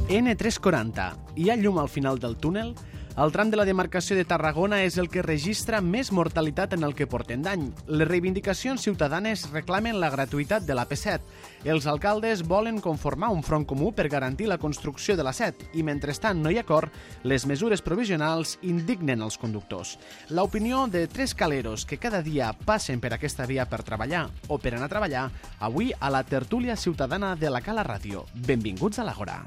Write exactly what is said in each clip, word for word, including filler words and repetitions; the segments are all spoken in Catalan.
ene tres quaranta. Hi ha llum al final del túnel? El tram de la demarcació de Tarragona és el que registra més mortalitat en el que portem d'any. Les reivindicacions ciutadanes reclamen la gratuïtat de l'A P set. Els alcaldes volen conformar un front comú per garantir la construcció de l'A set i, mentrestant no hi ha acord, les mesures provisionals indignen els conductors. L'opinió de tres caleros que cada dia passen per aquesta via per treballar o per anar a treballar, avui a la tertúlia ciutadana de la Cala Ràdio. Benvinguts a l'Àgora.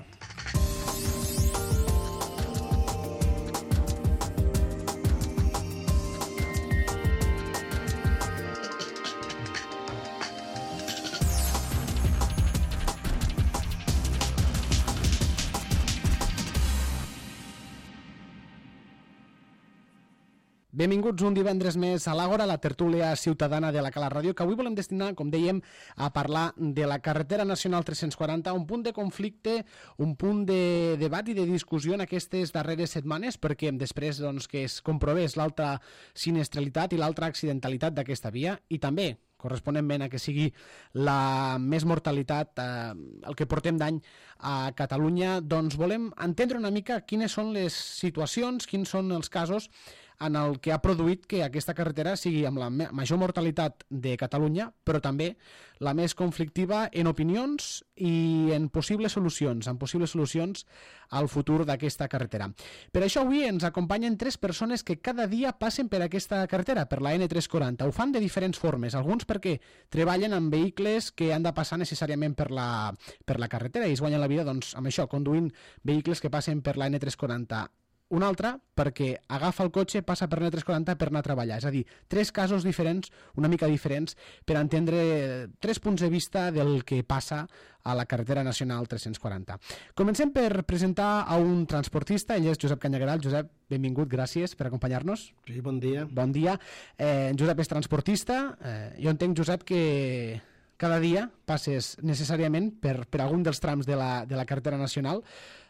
Benvinguts un divendres més a l'Àgora, la tertúlia ciutadana de la Cala Ràdio, que avui volem destinar, com dèiem, a parlar de la carretera nacional tres-cents quaranta, un punt de conflicte, un punt de debat i de discussió en aquestes darreres setmanes, perquè després doncs, que es comprovés l'alta sinistralitat i l'alta accidentalitat d'aquesta via, i també corresponentment a que sigui la més mortalitat, eh, el que portem d'any a Catalunya, doncs volem entendre una mica quines són les situacions, quins són els casos en el que ha produït que aquesta carretera sigui amb la major mortalitat de Catalunya, però també la més conflictiva en opinions i en possibles solucions, en possibles solucions al futur d'aquesta carretera. Per això avui ens acompanyen tres persones que cada dia passen per aquesta carretera, per la ene tres quaranta. Ho fan de diferents formes, alguns perquè treballen amb vehicles que han de passar necessàriament per la, per la carretera i es guanyen la vida doncs, amb això, conduint vehicles que passen per la ene tres quaranta. Un altre perquè agafa el cotxe, passa per l'ene tres quaranta per anar a treballar. És a dir, tres casos diferents, una mica diferents, per entendre tres punts de vista del que passa a la carretera nacional tres-cents quaranta. Comencem per presentar a un transportista, ell és Josep Canyagueral. Josep, benvingut, gràcies per acompanyar-nos. Sí, bon dia. Bon dia. Eh, Josep és transportista. Eh, jo entenc, Josep, que cada dia passes necessàriament per, per algun dels trams de la, de la carretera nacional.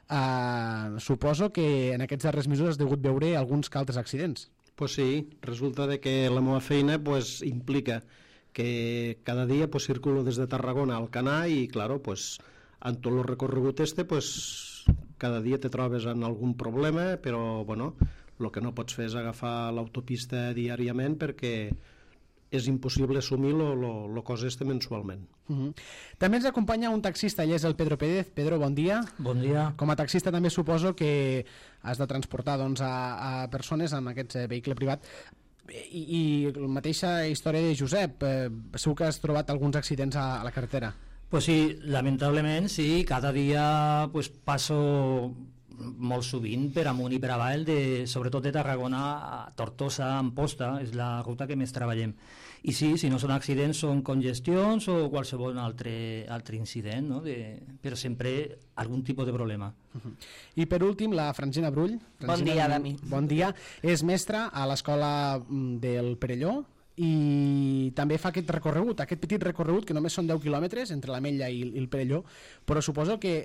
Uh, suposo que en aquests darrers mesos has degut veure alguns que altres accidents. Pues sí, resulta de que la meva feina pues, implica que cada dia pues, circulo des de Tarragona al Canà i, claro, pues, en tot el recorregut este, pues, cada dia te trobes en algun problema, però bueno, el que no pots fer és agafar l'autopista diàriament perquè és impossible assumir el cos este mensualment. Uh-huh. També ens acompanya un taxista, ell és el Pedro Pérez. Pedro, bon dia. Bon dia. Com a taxista també suposo que has de transportar doncs, a, a persones amb aquest vehicle privat. I, i la mateixa història de Josep, eh, segur que has trobat alguns accidents a, a la carretera. Pues sí, lamentablement sí, cada dia pues, passo molt sovint per amunt i per avall, de, sobretot de Tarragona a Tortosa, Amposta, és la ruta que més treballem. I sí, si no són accidents, són congestions o qualsevol altre, altre incident, no? de, però sempre algun tipus de problema. Uh-huh. I per últim, la Francina Brull. Francina, bon dia, Dami. Bon dia. És mestra a l'escola del Perelló i també fa aquest recorregut, aquest petit recorregut que només són deu quilòmetres entre l'Ametlla i el Perelló, però suposo que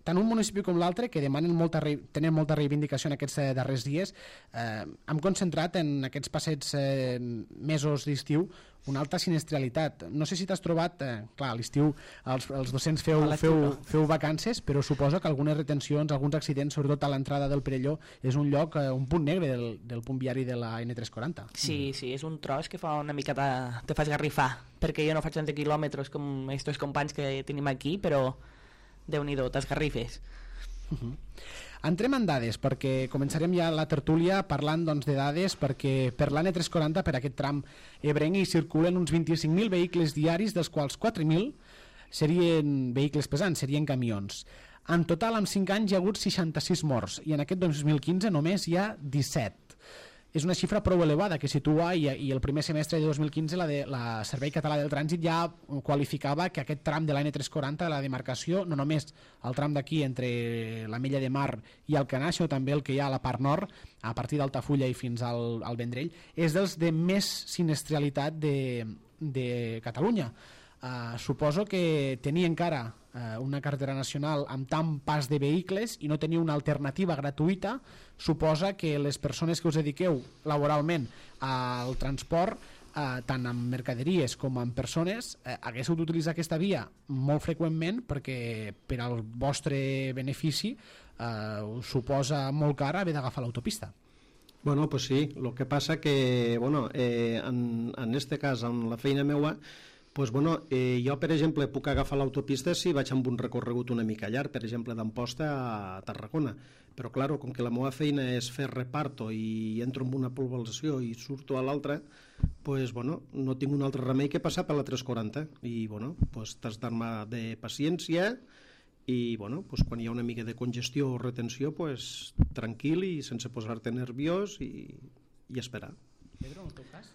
tant un municipi com l'altre, que demanen molta, tenen molta reivindicació en aquests eh, darrers dies, eh, hem concentrat en aquests passats eh, mesos d'estiu una alta sinistralitat. No sé si t'has trobat, eh, clar, a l'estiu els, els docents feu, feu, feu vacances, però suposo que algunes retencions, alguns accidents, sobretot a l'entrada del Perelló, és un lloc, eh, un punt negre del, del punt viari de la ene tres quaranta. Sí, sí, és un tros que fa una mica te, te fa esgarrifar, perquè jo no faig trenta quilòmetres com aquests companys que tenim aquí, però Déu-n'hi-do, t'esgarrifes. Uh-huh. Entrem en dades, perquè començarem ja la tertúlia parlant doncs, de dades, perquè per l'ene tres quaranta, per aquest tram ebrenc, hi circulen uns vint-i-cinc mil vehicles diaris, dels quals quatre mil serien vehicles pesants, serien camions. En total, en cinc anys hi ha hagut seixanta-sis morts, i en aquest dos mil quinze només hi ha disset. És una xifra prou elevada que situa, i, i el primer semestre de dos mil quinze la, de, la Servei Català del Trànsit ja qualificava que aquest tram de l'ene tres quaranta, la demarcació, no només el tram d'aquí entre l'Ametlla de Mar i el Canà, sinó també el que hi ha a la part nord, a partir d'Altafulla i fins al, al Vendrell, és dels de més sinistralitat de, de Catalunya. Uh, suposo que tenir encara uh, una carretera nacional amb tant pas de vehicles i no tenir una alternativa gratuïta suposa que les persones que us dediqueu laboralment al transport eh, tant amb mercaderies com amb persones, eh, haguéssiu d'utilitzar aquesta via molt freqüentment perquè per al vostre benefici eh, us suposa molt car haver d'agafar l'autopista. Bueno, pues sí, el que passa que, bueno, eh, en, en este cas, en la feina meua, pues bueno, eh, jo, per exemple, puc agafar l'autopista si vaig amb un recorregut una mica llarg, per exemple, d'Amposta a Tarragona. Però, clar, com que la meva feina és fer reparto i entro en una població i surto a l'altra, pues, bueno, no tinc un altre remei que passar per la tres quaranta. I, bueno, pues, t'has d'armar de paciència i, bueno, pues, quan hi ha una mica de congestió o retenció, pues, tranquil i sense posar-te nerviós i, i esperar. Pedro, en el teu cas?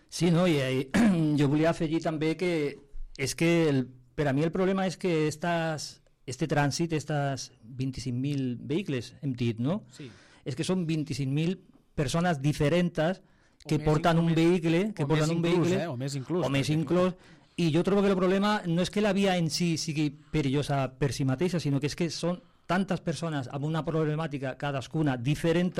Sí, no, i, i jo volia afegir també que és que el, per a mi el problema és que estas, este trànsit, aquests vint-i-cinc mil vehicles, hem dit, no? Sí. És que són vint-i-cinc mil persones diferents que O porten més, un o vehicle, que o porten més un inclús, vehicle, eh? O més inclús, o més perquè- inclús, i jo trobo que el problema no és que la via en si sigui perillosa per si mateixa, sinó que és que són tantes persones amb una problemàtica cadascuna diferent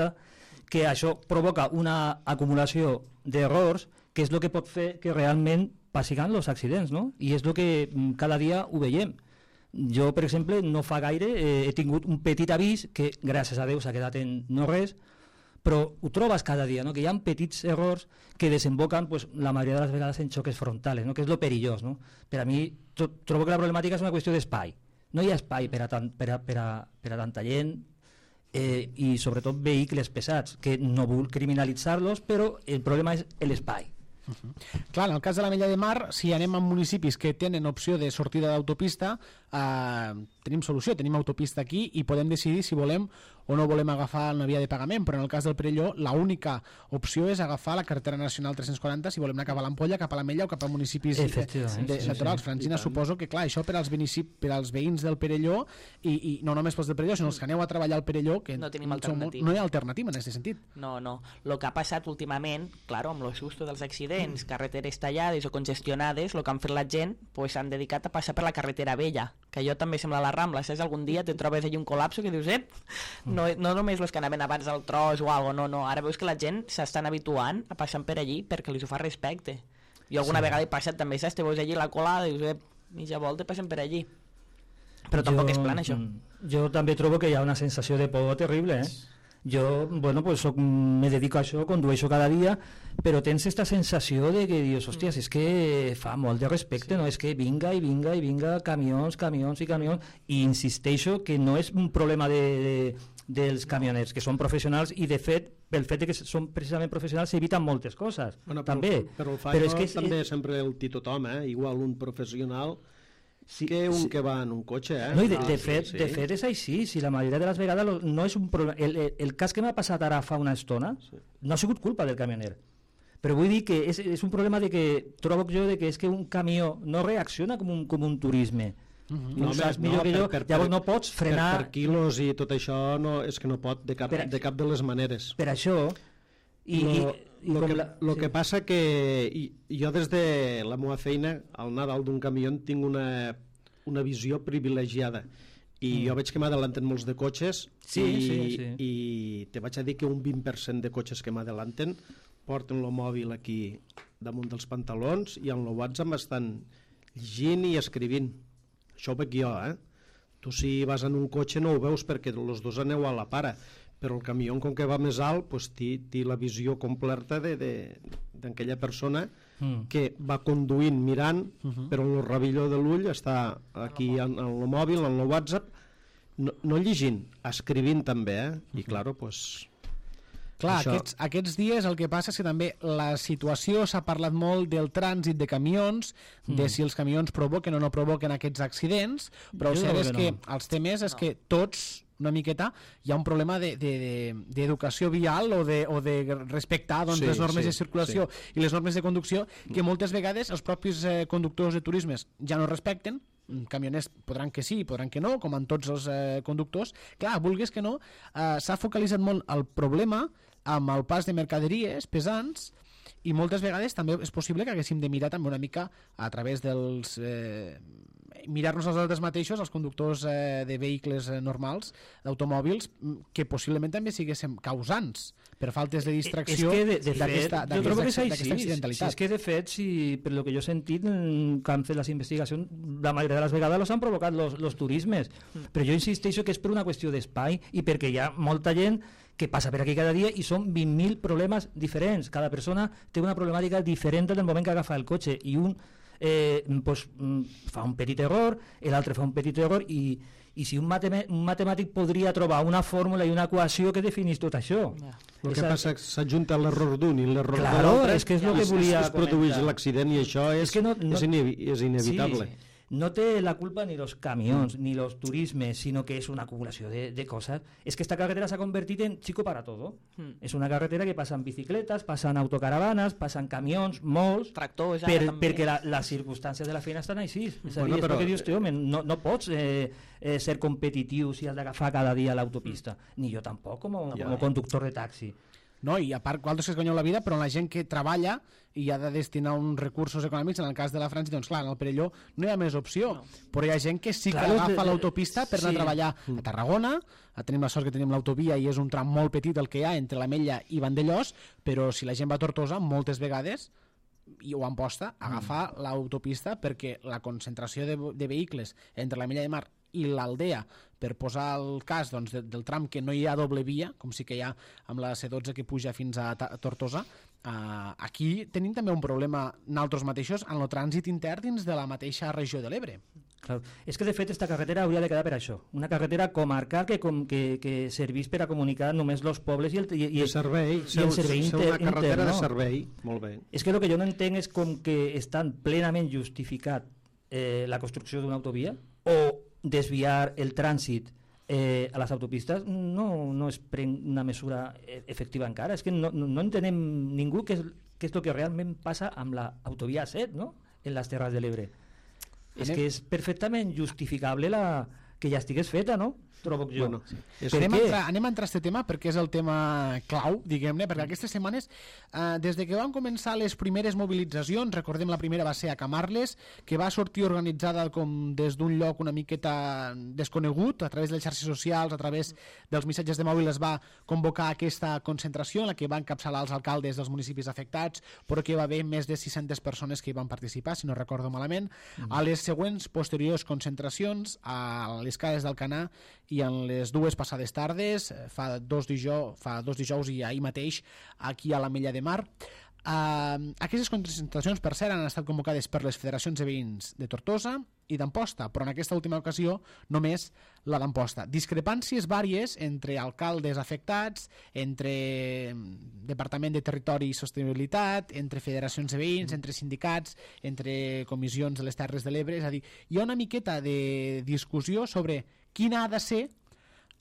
que això provoca una acumulació d'errors que és el que pot fer que realment passin els accidents, no? I és el que mm, cada dia ho veiem. Jo, per exemple, no fa gaire eh, he tingut un petit avís que, gràcies a Déu, s'ha quedat en no res, però ho trobes cada dia, no? Que hi ha petits errors que desemboquen pues, la majoria de les vegades en xoques frontals, no? Que és lo perillós. No? Per a mi, tro trobo que la problemàtica és una qüestió d'espai. No hi ha espai per a, tan, per a, per a, per a tanta gent eh, i sobretot vehicles pesats, que no vull criminalitzar-los, però el problema és l'espai. Uh -huh. Clar, en el cas de l'Ametlla de Mar, si anem a municipis que tenen opció de sortida d'autopista, eh, tenim solució, tenim autopista aquí i podem decidir si volem o no volem agafar una via de pagament, però en el cas del Perelló l'única opció és agafar la carretera nacional tres-cents quaranta si volem anar cap a l'Ampolla, cap a l'Ametlla o cap a municipis de, de, sí, naturals. sí, Francina, suposo que clar, això per als, per als veïns del Perelló i, i no només pels del Perelló, sinó els que aneu a treballar al Perelló, que no tenim som- alternativa. no hi ha alternativa en aquest sentit. No, no. El que ha passat últimament, claro, amb el susto dels accidents, mm. carreteres tallades o congestionades, el que han fet la gent pues, s'han dedicat a passar per la carretera vella, que allò també sembla la Rambla, saps? Algun dia te trobes allà un col·lapso que dius, ep, no, no només els que anaven abans del tros o alguna cosa, no, no, ara veus que la gent s'estan habituant a passar per allí perquè li ho fa respecte. Jo alguna sí. vegada he passat també, saps? Te veus allí la colada i dius, ep, mitja volta passen per allí. Però tampoc jo, és plan, això. Jo també trobo que hi ha una sensació de por terrible, eh? Jo, bueno, pues soc, me dedico a això, condueixo cada dia, però tens aquesta sensació de que dius, hòsties, és que fa molt de respecte, sí. no? És que vinga i vinga i vinga, camions, camions i camions, i insisteixo que no és un problema de, de, dels camioners, que són professionals, i de fet, pel fet de que són precisament professionals s'eviten moltes coses, bueno, però, també. Però el però és que és, també és sempre el dir tothom, eh? Igual un professional sí, que un sí. que va en un cotxe, eh? No, i de, de, ah, fet, sí, de sí. fet és així, si la majoria de les vegades lo- no és un problema. El, el, el cas que m'ha passat ara fa una estona Sí. no ha sigut culpa del camioner, però vull dir que és, és un problema de que trobo jo de que és que un camió no reacciona com un, com un turisme. Uh -huh. No, saps millor que jo, llavors no pots frenar per, per quilos i tot això no, és que no pot de cap, Per a- de cap de les maneres. per això i, lo, i, i lo, com que, la- lo sí. que passa que i, jo des de la meva feina al anar dalt d'un camió tinc una, una visió privilegiada i Mm. jo veig que m'adelanten molts de cotxes Sí, i, sí, sí. i te vaig a dir que un vint per cent de cotxes que m'adelanten porten el mòbil aquí damunt dels pantalons i en el WhatsApp estan llegint i escrivint. Això ho veig jo, eh? Tu si vas en un cotxe no ho veus perquè els dos aneu a la para, però el camió com que va més alt pues, té, té la visió completa d'aquella persona Mm. que va conduint mirant, Uh -huh. però en el ravilló de l'ull està aquí en, en el mòbil, en el WhatsApp, no, no llegint, escrivint també, eh? I claro, pues... Clar, Això... aquests, aquests dies el que passa és que també la situació s'ha parlat molt del trànsit de camions, de Mm. si els camions provoquen o no provoquen aquests accidents, però el Jo cert crec és que que no. els temes és que tots una miqueta hi ha un problema d'educació de, de, de vial o de, o de respectar doncs, Sí, les normes sí, de circulació i les normes de conducció que moltes vegades els propis eh, conductors de turismes ja no respecten. Camioners podran que sí, podran que no, com en tots els eh, conductors. Clar, vulguis que no, eh, s'ha focalitzat molt el problema amb el pas de mercaderies pesants I moltes vegades també és possible que haguéssim de mirar també una mica a través dels... Eh, mirar-nos els altres mateixos, els conductors eh, de vehicles eh, normals, d'automòbils, que possiblement també siguéssim causants per faltes de distracció d'aquesta accidentalitat. Si és que de fet, si, per lo que jo he sentit, que han fet les investigacions, la majoria de les vegades los han provocat los, los turismes, mm. però jo insisteixo que és per una qüestió d'espai i perquè hi ha molta gent que passa per aquí cada dia i són vint mil problemes diferents. Cada persona té una problemàtica diferent del moment que agafa el cotxe i un eh, pues, fa un petit error, l'altre fa un petit error i, i si un, matem un matemàtic podria trobar una fórmula i una equació que definís tot això. Yeah. El que passa és que s'ajunta l'error d'un i l'error claro, de l'altre, és que és, lo que volia es produeix l'accident i això és, és, que no, no, és, inevi és inevitable. Sí, no té la culpa ni los camions, mm. ni los turismes, sino que és una acumulació de, de coses. És que esta carretera s'ha convertit en chico para todo. Mm. És una carretera que passen bicicletes, passen autocaravanes, passen camions, molts, tractors, per, perquè la, les circumstàncies de la feina estan així. És a dir, bueno, és però... que dius, home, no, no pots eh, eh, ser competitiu si has d'agafar cada dia l'autopista. Mm. Ni jo tampoc, com, ja. com conductor de taxi. No, i a part, vosaltres que es guanyeu la vida, però la gent que treballa i ha de destinar uns recursos econòmics, en el cas de la França, doncs clar, en el Perelló no hi ha més opció, no. Però hi ha gent que sí que clar, agafa l'autopista per anar sí. a treballar a Tarragona, tenim la sort que tenim l'autovia i és un tram molt petit el que hi ha entre l'Ametlla i Vandellós, però si la gent va a Tortosa, moltes vegades i ho Amposta, agafar mm. l'autopista perquè la concentració de, de vehicles entre l'Ametlla de Mar i l'Aldea, per posar el cas doncs, de, del tram que no hi ha doble via, com sí que hi ha amb la C dotze que puja fins a, a Tortosa, uh, aquí tenim també un problema nosaltres mateixos en el trànsit intern dins de la mateixa regió de l'Ebre. Claro. És que de fet esta carretera hauria de quedar per això, una carretera comarcal que, com, que, que servís per a comunicar només els pobles i el, i, i, de servei, i el servei inter, una carretera inter, no? de servei, molt bé. És que el que jo no entenc és com que estan plenament justificat eh, la construcció d'una autovia o desviar el trànsit eh, a les autopistes no, no es pren una mesura efectiva encara. És que no, no, no entenem ningú què és, què és el que realment passa amb l'autovia set, no? En les Terres de l'Ebre. És que és perfectament justificable la, que ja estigués feta, no? Trobo jo. Bueno, sí. anem, a entrar, anem a entrar a aquest tema perquè és el tema clau, diguem-ne, perquè aquestes setmanes, eh, des de que van començar les primeres mobilitzacions, recordem la primera va ser a Camarles, que va sortir organitzada com des d'un lloc una miqueta desconegut, a través de les xarxes socials, a través dels missatges de mòbil es va convocar aquesta concentració en la que van encapçalar els alcaldes dels municipis afectats, però que va haver més de sis-centes persones que hi van participar, si no recordo malament. Mm. A les següents posteriors concentracions, a les Cases d'Alcanar i en les dues passades tardes, fa dos, dijous, fa dos dijous i ahir mateix, aquí a l'Ametlla de Mar. Uh, aquestes concentracions, per cert, han estat convocades per les federacions de veïns de Tortosa i d'Amposta, però en aquesta última ocasió només la d'Amposta. Discrepàncies vàries entre alcaldes afectats, entre Departament de Territori i Sostenibilitat, entre federacions de veïns, entre sindicats, entre comissions de les Terres de l'Ebre. És a dir, hi ha una miqueta de discussió sobre quina ha de ser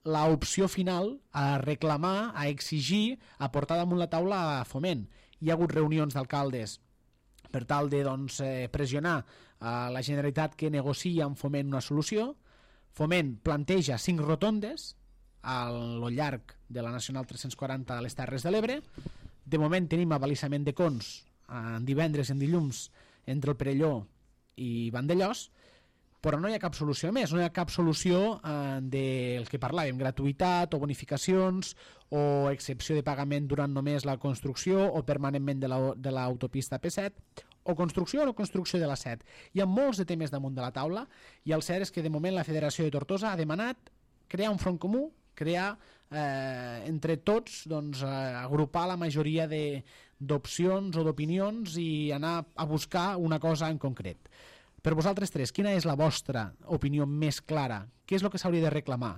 l'opció final a reclamar, a exigir, a portar damunt la taula a Foment. Hi ha hagut reunions d'alcaldes per tal de doncs, eh, pressionar a la Generalitat que negocia amb Foment una solució. Foment planteja cinc rotondes a lo llarg de la Nacional tres-cents quaranta a les Terres de l'Ebre. De moment tenim avalissament de cons en divendres i en dilluns entre el Perelló i Vandellós, però no hi ha cap solució més, no hi ha cap solució eh, del que parlàvem, gratuïtat o bonificacions o excepció de pagament durant només la construcció o permanentment de l'autopista P set, o construcció o no construcció de la set. Hi ha molts de temes damunt de la taula i el cert és que de moment la Federació de Tortosa ha demanat crear un front comú, crear eh, entre tots, doncs, eh, agrupar la majoria d'opcions o d'opinions i anar a buscar una cosa en concret. Per vosaltres tres, quina és la vostra opinió més clara? Què és el que s'hauria de reclamar?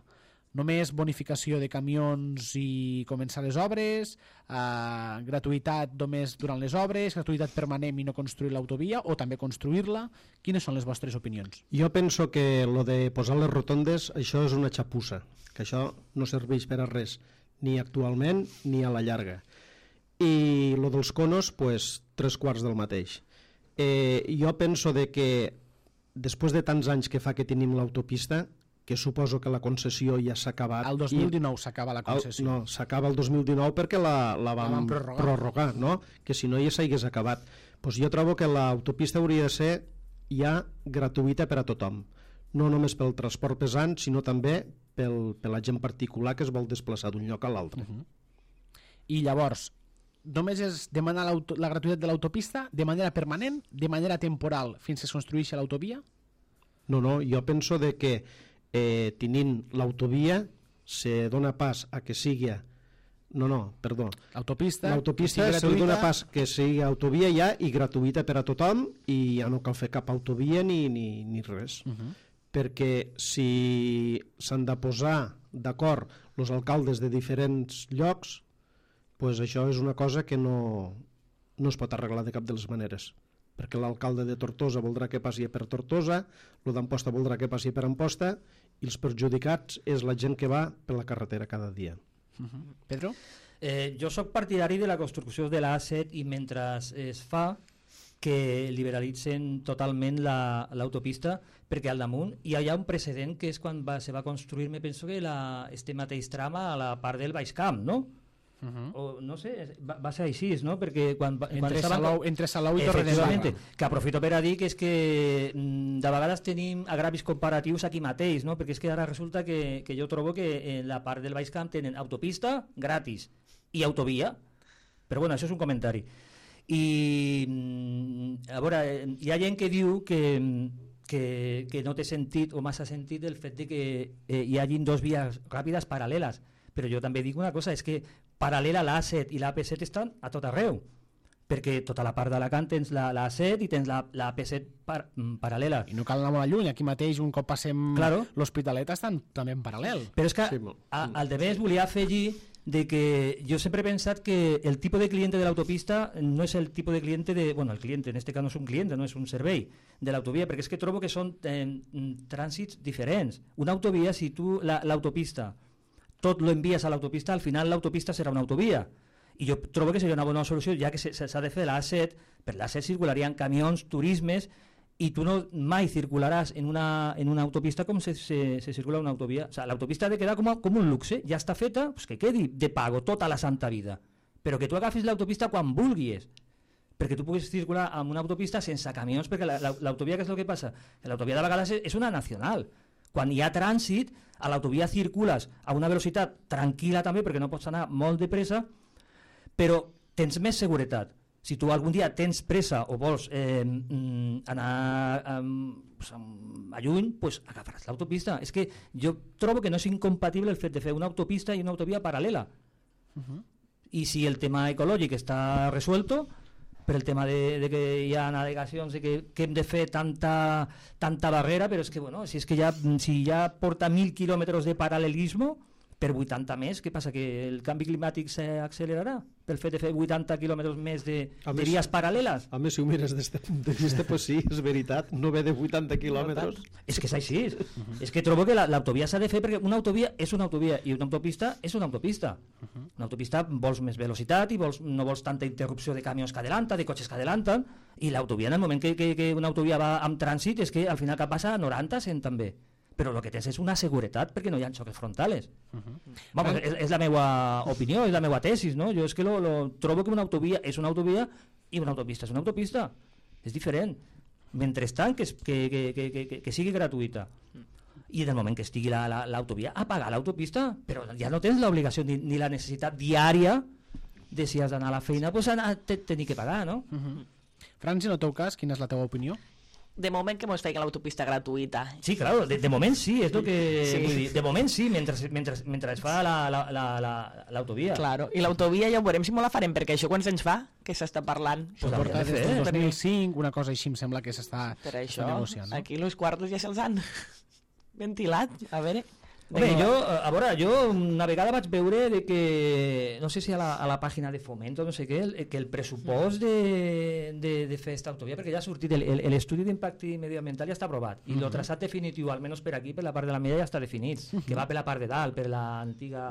Només bonificació de camions i començar les obres, eh, gratuïtat només durant les obres, gratuïtat permanent i no construir l'autovia, o també construir-la? Quines són les vostres opinions? Jo penso que lo de posar les rotondes, això és una xapussa, que això no serveix per a res, ni actualment ni a la llarga. I lo dels conos, pues, tres quarts del mateix. Eh, jo penso de que després de tants anys que fa que tenim l'autopista, que suposo que la concessió ja s'ha acabat. El dos mil dinou s'acaba la concessió. El, no, s'acaba el dos mil dinou perquè la, la vam, la vam prorrogar. prorrogar, no? Que si no ja s'hagués acabat. Pues jo trobo que l'autopista hauria de ser ja gratuïta per a tothom, no només pel transport pesant, sinó també pel, per la gent particular que es vol desplaçar d'un lloc a l'altre. Uh -huh. I llavors, només és demanar la gratuïtat de l'autopista de manera permanent, de manera temporal, fins que es construeixi l'autovia? No, no, jo penso de que eh, tenint l'autovia se dona pas a que sigui... No, no, perdó. L'autopista, l'autopista se li dona pas que sigui autovia ja i gratuïta per a tothom i ja no cal fer cap autovia ni, ni, ni res. Uh -huh. Perquè si s'han de posar d'acord els alcaldes de diferents llocs, pues això és una cosa que no, no es pot arreglar de cap de les maneres, perquè l'alcalde de Tortosa voldrà que passi per Tortosa, el d'Amposta voldrà que passi per Amposta, i els perjudicats és la gent que va per la carretera cada dia. Uh-huh. Pedro? Eh, jo sóc partidari de la construcció de l'A set i mentre es fa que liberalitzen totalment l'autopista, perquè al damunt hi ha un precedent que és quan va, se va construir, me penso que la, este mateix trama a la part del Baix Camp, no? Uh-huh. O, no sé, va, va ser així, no? Perquè quan, entre, quan estaven... Salou, entre Salou i Torredembarra, que aprofito per a dir que és que de vegades tenim agravis comparatius aquí mateix, no? Perquè és que ara resulta que, que jo trobo que en la part del Baix Camp tenen autopista gratis i autovia, però bueno, això és un comentari. I a veure, hi ha gent que diu que que, que no té sentit o massa sentit el fet de que eh, hi hagin dos vies ràpides paral·leles, però jo també dic una cosa, és que paral·lela l'A set i l'A P set estan a tot arreu, perquè tota la part d'Alacant tens l'A set i tens l'A P set par, paral·lela. I no cal anar molt lluny, aquí mateix un cop passem claro. l'Hospitalet estan també en paral·lel. Però és que sí, a, al de més volia afegir de que jo sempre he pensat que el tipus de cliente de l'autopista no és el tipus de cliente de... Bueno, el cliente en este cas no és un cliente, no és un servei de l'autovia, perquè és que trobo que són eh, trànsits diferents. Una autovia, si tu l'autopista tot lo envies a l'autopista, al final l'autopista serà una autovia. I jo trobo que seria una bona solució, ja que s'ha de fer l'A set, per l'A set circularien camions, turismes, i tu no mai circularàs en una, en una autopista com se, se, se circula una autovia. O sea, l'autopista ha de quedar com, a, com un luxe, ja està feta, pues que quedi de pago tota la santa vida, però que tu agafis l'autopista quan vulguis, perquè tu puguis circular amb una autopista sense camions, perquè l'autovia, què és el que passa? L'autovia de vegades és una nacional. Quan hi ha trànsit, a l'autovia circules a una velocitat tranquil·la també, perquè no pots anar molt de pressa, però tens més seguretat. Si tu algun dia tens pressa o vols eh, anar eh, a lluny, pues agafaràs l'autopista. És que jo trobo que no és incompatible el fet de fer una autopista i una autovia paral·lela. Uh-huh. I si el tema ecològic està resuelto, per el tema de, de que hi ha navegacions i que, que hem de fer tanta, tanta barrera, però és que, bueno, si, és que ja, si ja porta mil quilòmetres de paral·lelisme, per vuitanta més, què passa? Que el canvi climàtic s'accelerarà pel fet de fer vuitanta quilòmetres més de, de vies paral·leles? A més, si ho mires des d'aquest punt de vista, pues sí, és veritat, no ve de vuitanta quilòmetres. És que és així. Uh-huh. És que trobo que l'autovia s'ha de fer perquè una autovia és una autovia i una autopista és una autopista. Uh-huh. Una autopista vols més velocitat i vols, no vols tanta interrupció de camions que adelanten, de cotxes que adelanten, i l'autovia, en el moment que, que, que una autovia va amb trànsit, és que al final cap passa a noranta, cent també. Però el que tens és una seguretat perquè no hi ha xoques frontales. Uh-huh. Vamos, és, és la meva opinió, és la meva tesis, no? Jo és que lo, lo, trobo que una autovia és una autovia i una autopista és una autopista. És diferent. Mentrestant que, que, que, que, que, que sigui gratuïta. I en el moment que estigui l'autovia, la, apagar l'autopista, però ja no tens l'obligació ni, ni la necessitat diària de si has d'anar a la feina, pues tenir que pagar, no? Uh-huh. Franci, en el teu cas, quina és la teva opinió? De moment que mos feien l'autopista gratuïta. Sí, claro, de, de moment sí, és el que sí. Vull dir. De moment sí, mentre, mentre, mentre es fa l'autovia. La, la, la, claro, i l'autovia ja ho veurem si molt la farem, perquè això quants anys fa que s'està parlant? Pues porta des del dos mil cinc, una cosa així em sembla que s'està negociant. No? Aquí els quartos ja se'ls han ventilat, a veure... Bé, jo, a veure, jo una vegada vaig veure de que, no sé si a la, a la pàgina de Fomento, no sé què, el, que el pressupost de, de, de fer esta autovia, perquè ja ha sortit l'estudi d'impacte mediambiental ja està aprovat, i el traçat definitiu, almenys per aquí, per la part de la media, ja està definit, que va per la part de dalt, per l'antiga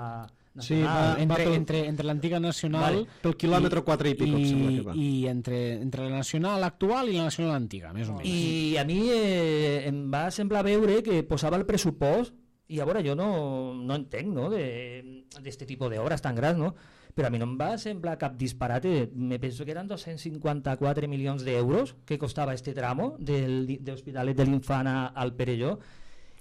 nacional. Sí, va, entre, pel, entre, entre l'antiga nacional... Vale, pel quilòmetre quatre i pico, i, sembla que va. I entre, entre la nacional actual i la nacional antiga, més o menys. I a mi eh, em va semblar veure que posava el pressupost I a veure, jo no, no entenc, no?, d'aquest tipus d'obres tan grans, no? Però a mi no em va semblar cap disparate. Me penso que eren dos-cents cinquanta-quatre milions d'euros que costava este tramo del, de l'Hospitalet de l'Infant al Perelló,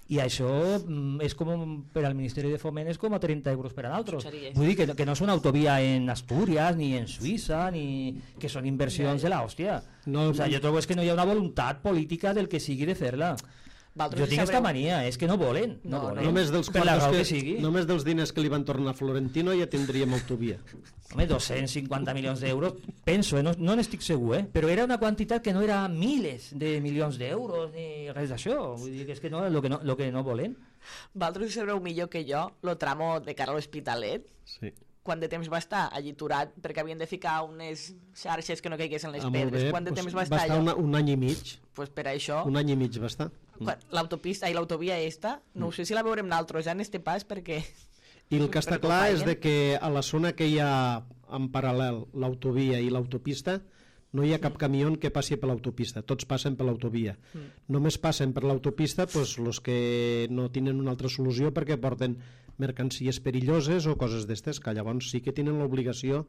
i això mm, és com per al Ministeri de Foment és com a trenta euros per a l'altre. Vull dir que, que no és una autovia en Astúries ni en Suïssa, ni que són inversions de l'hòstia. No, o sea, jo trobo és que no hi ha una voluntat política del que sigui de fer-la. Jo tinc aquesta mania, és que no volen, no, no volen. Només dels, per la raó que, que sigui. Només dels diners que li van tornar a Florentino ja tindríem autovia. Home, dos-cents cinquanta milions d'euros, penso, eh? no, no n'estic segur, eh? Però era una quantitat que no era milers de milions d'euros ni res d'això. Vull dir que és que no, lo que no, lo que no volen. Vosaltres sabreu millor que jo lo tramo de cara a l'Hospitalet. Sí. Quant de temps va estar allí aturat perquè havien de ficar unes xarxes que no caiguessin les ah, pedres? Quant de pues temps va estar, estar allò? Va estar una, un any i mig. Pues per això... Un any i mig va estar. L'autopista i l'autovia esta, no mm. sé si la veurem naltros ja en este pas perquè... I el que està clar és de que a la zona que hi ha en paral·lel l'autovia i l'autopista no hi ha cap camió que passi per l'autopista, tots passen per l'autovia. Mm. Només passen per l'autopista pues, els que no tenen una altra solució perquè porten mercancies perilloses o coses d'estes, que llavors sí que tenen l'obligació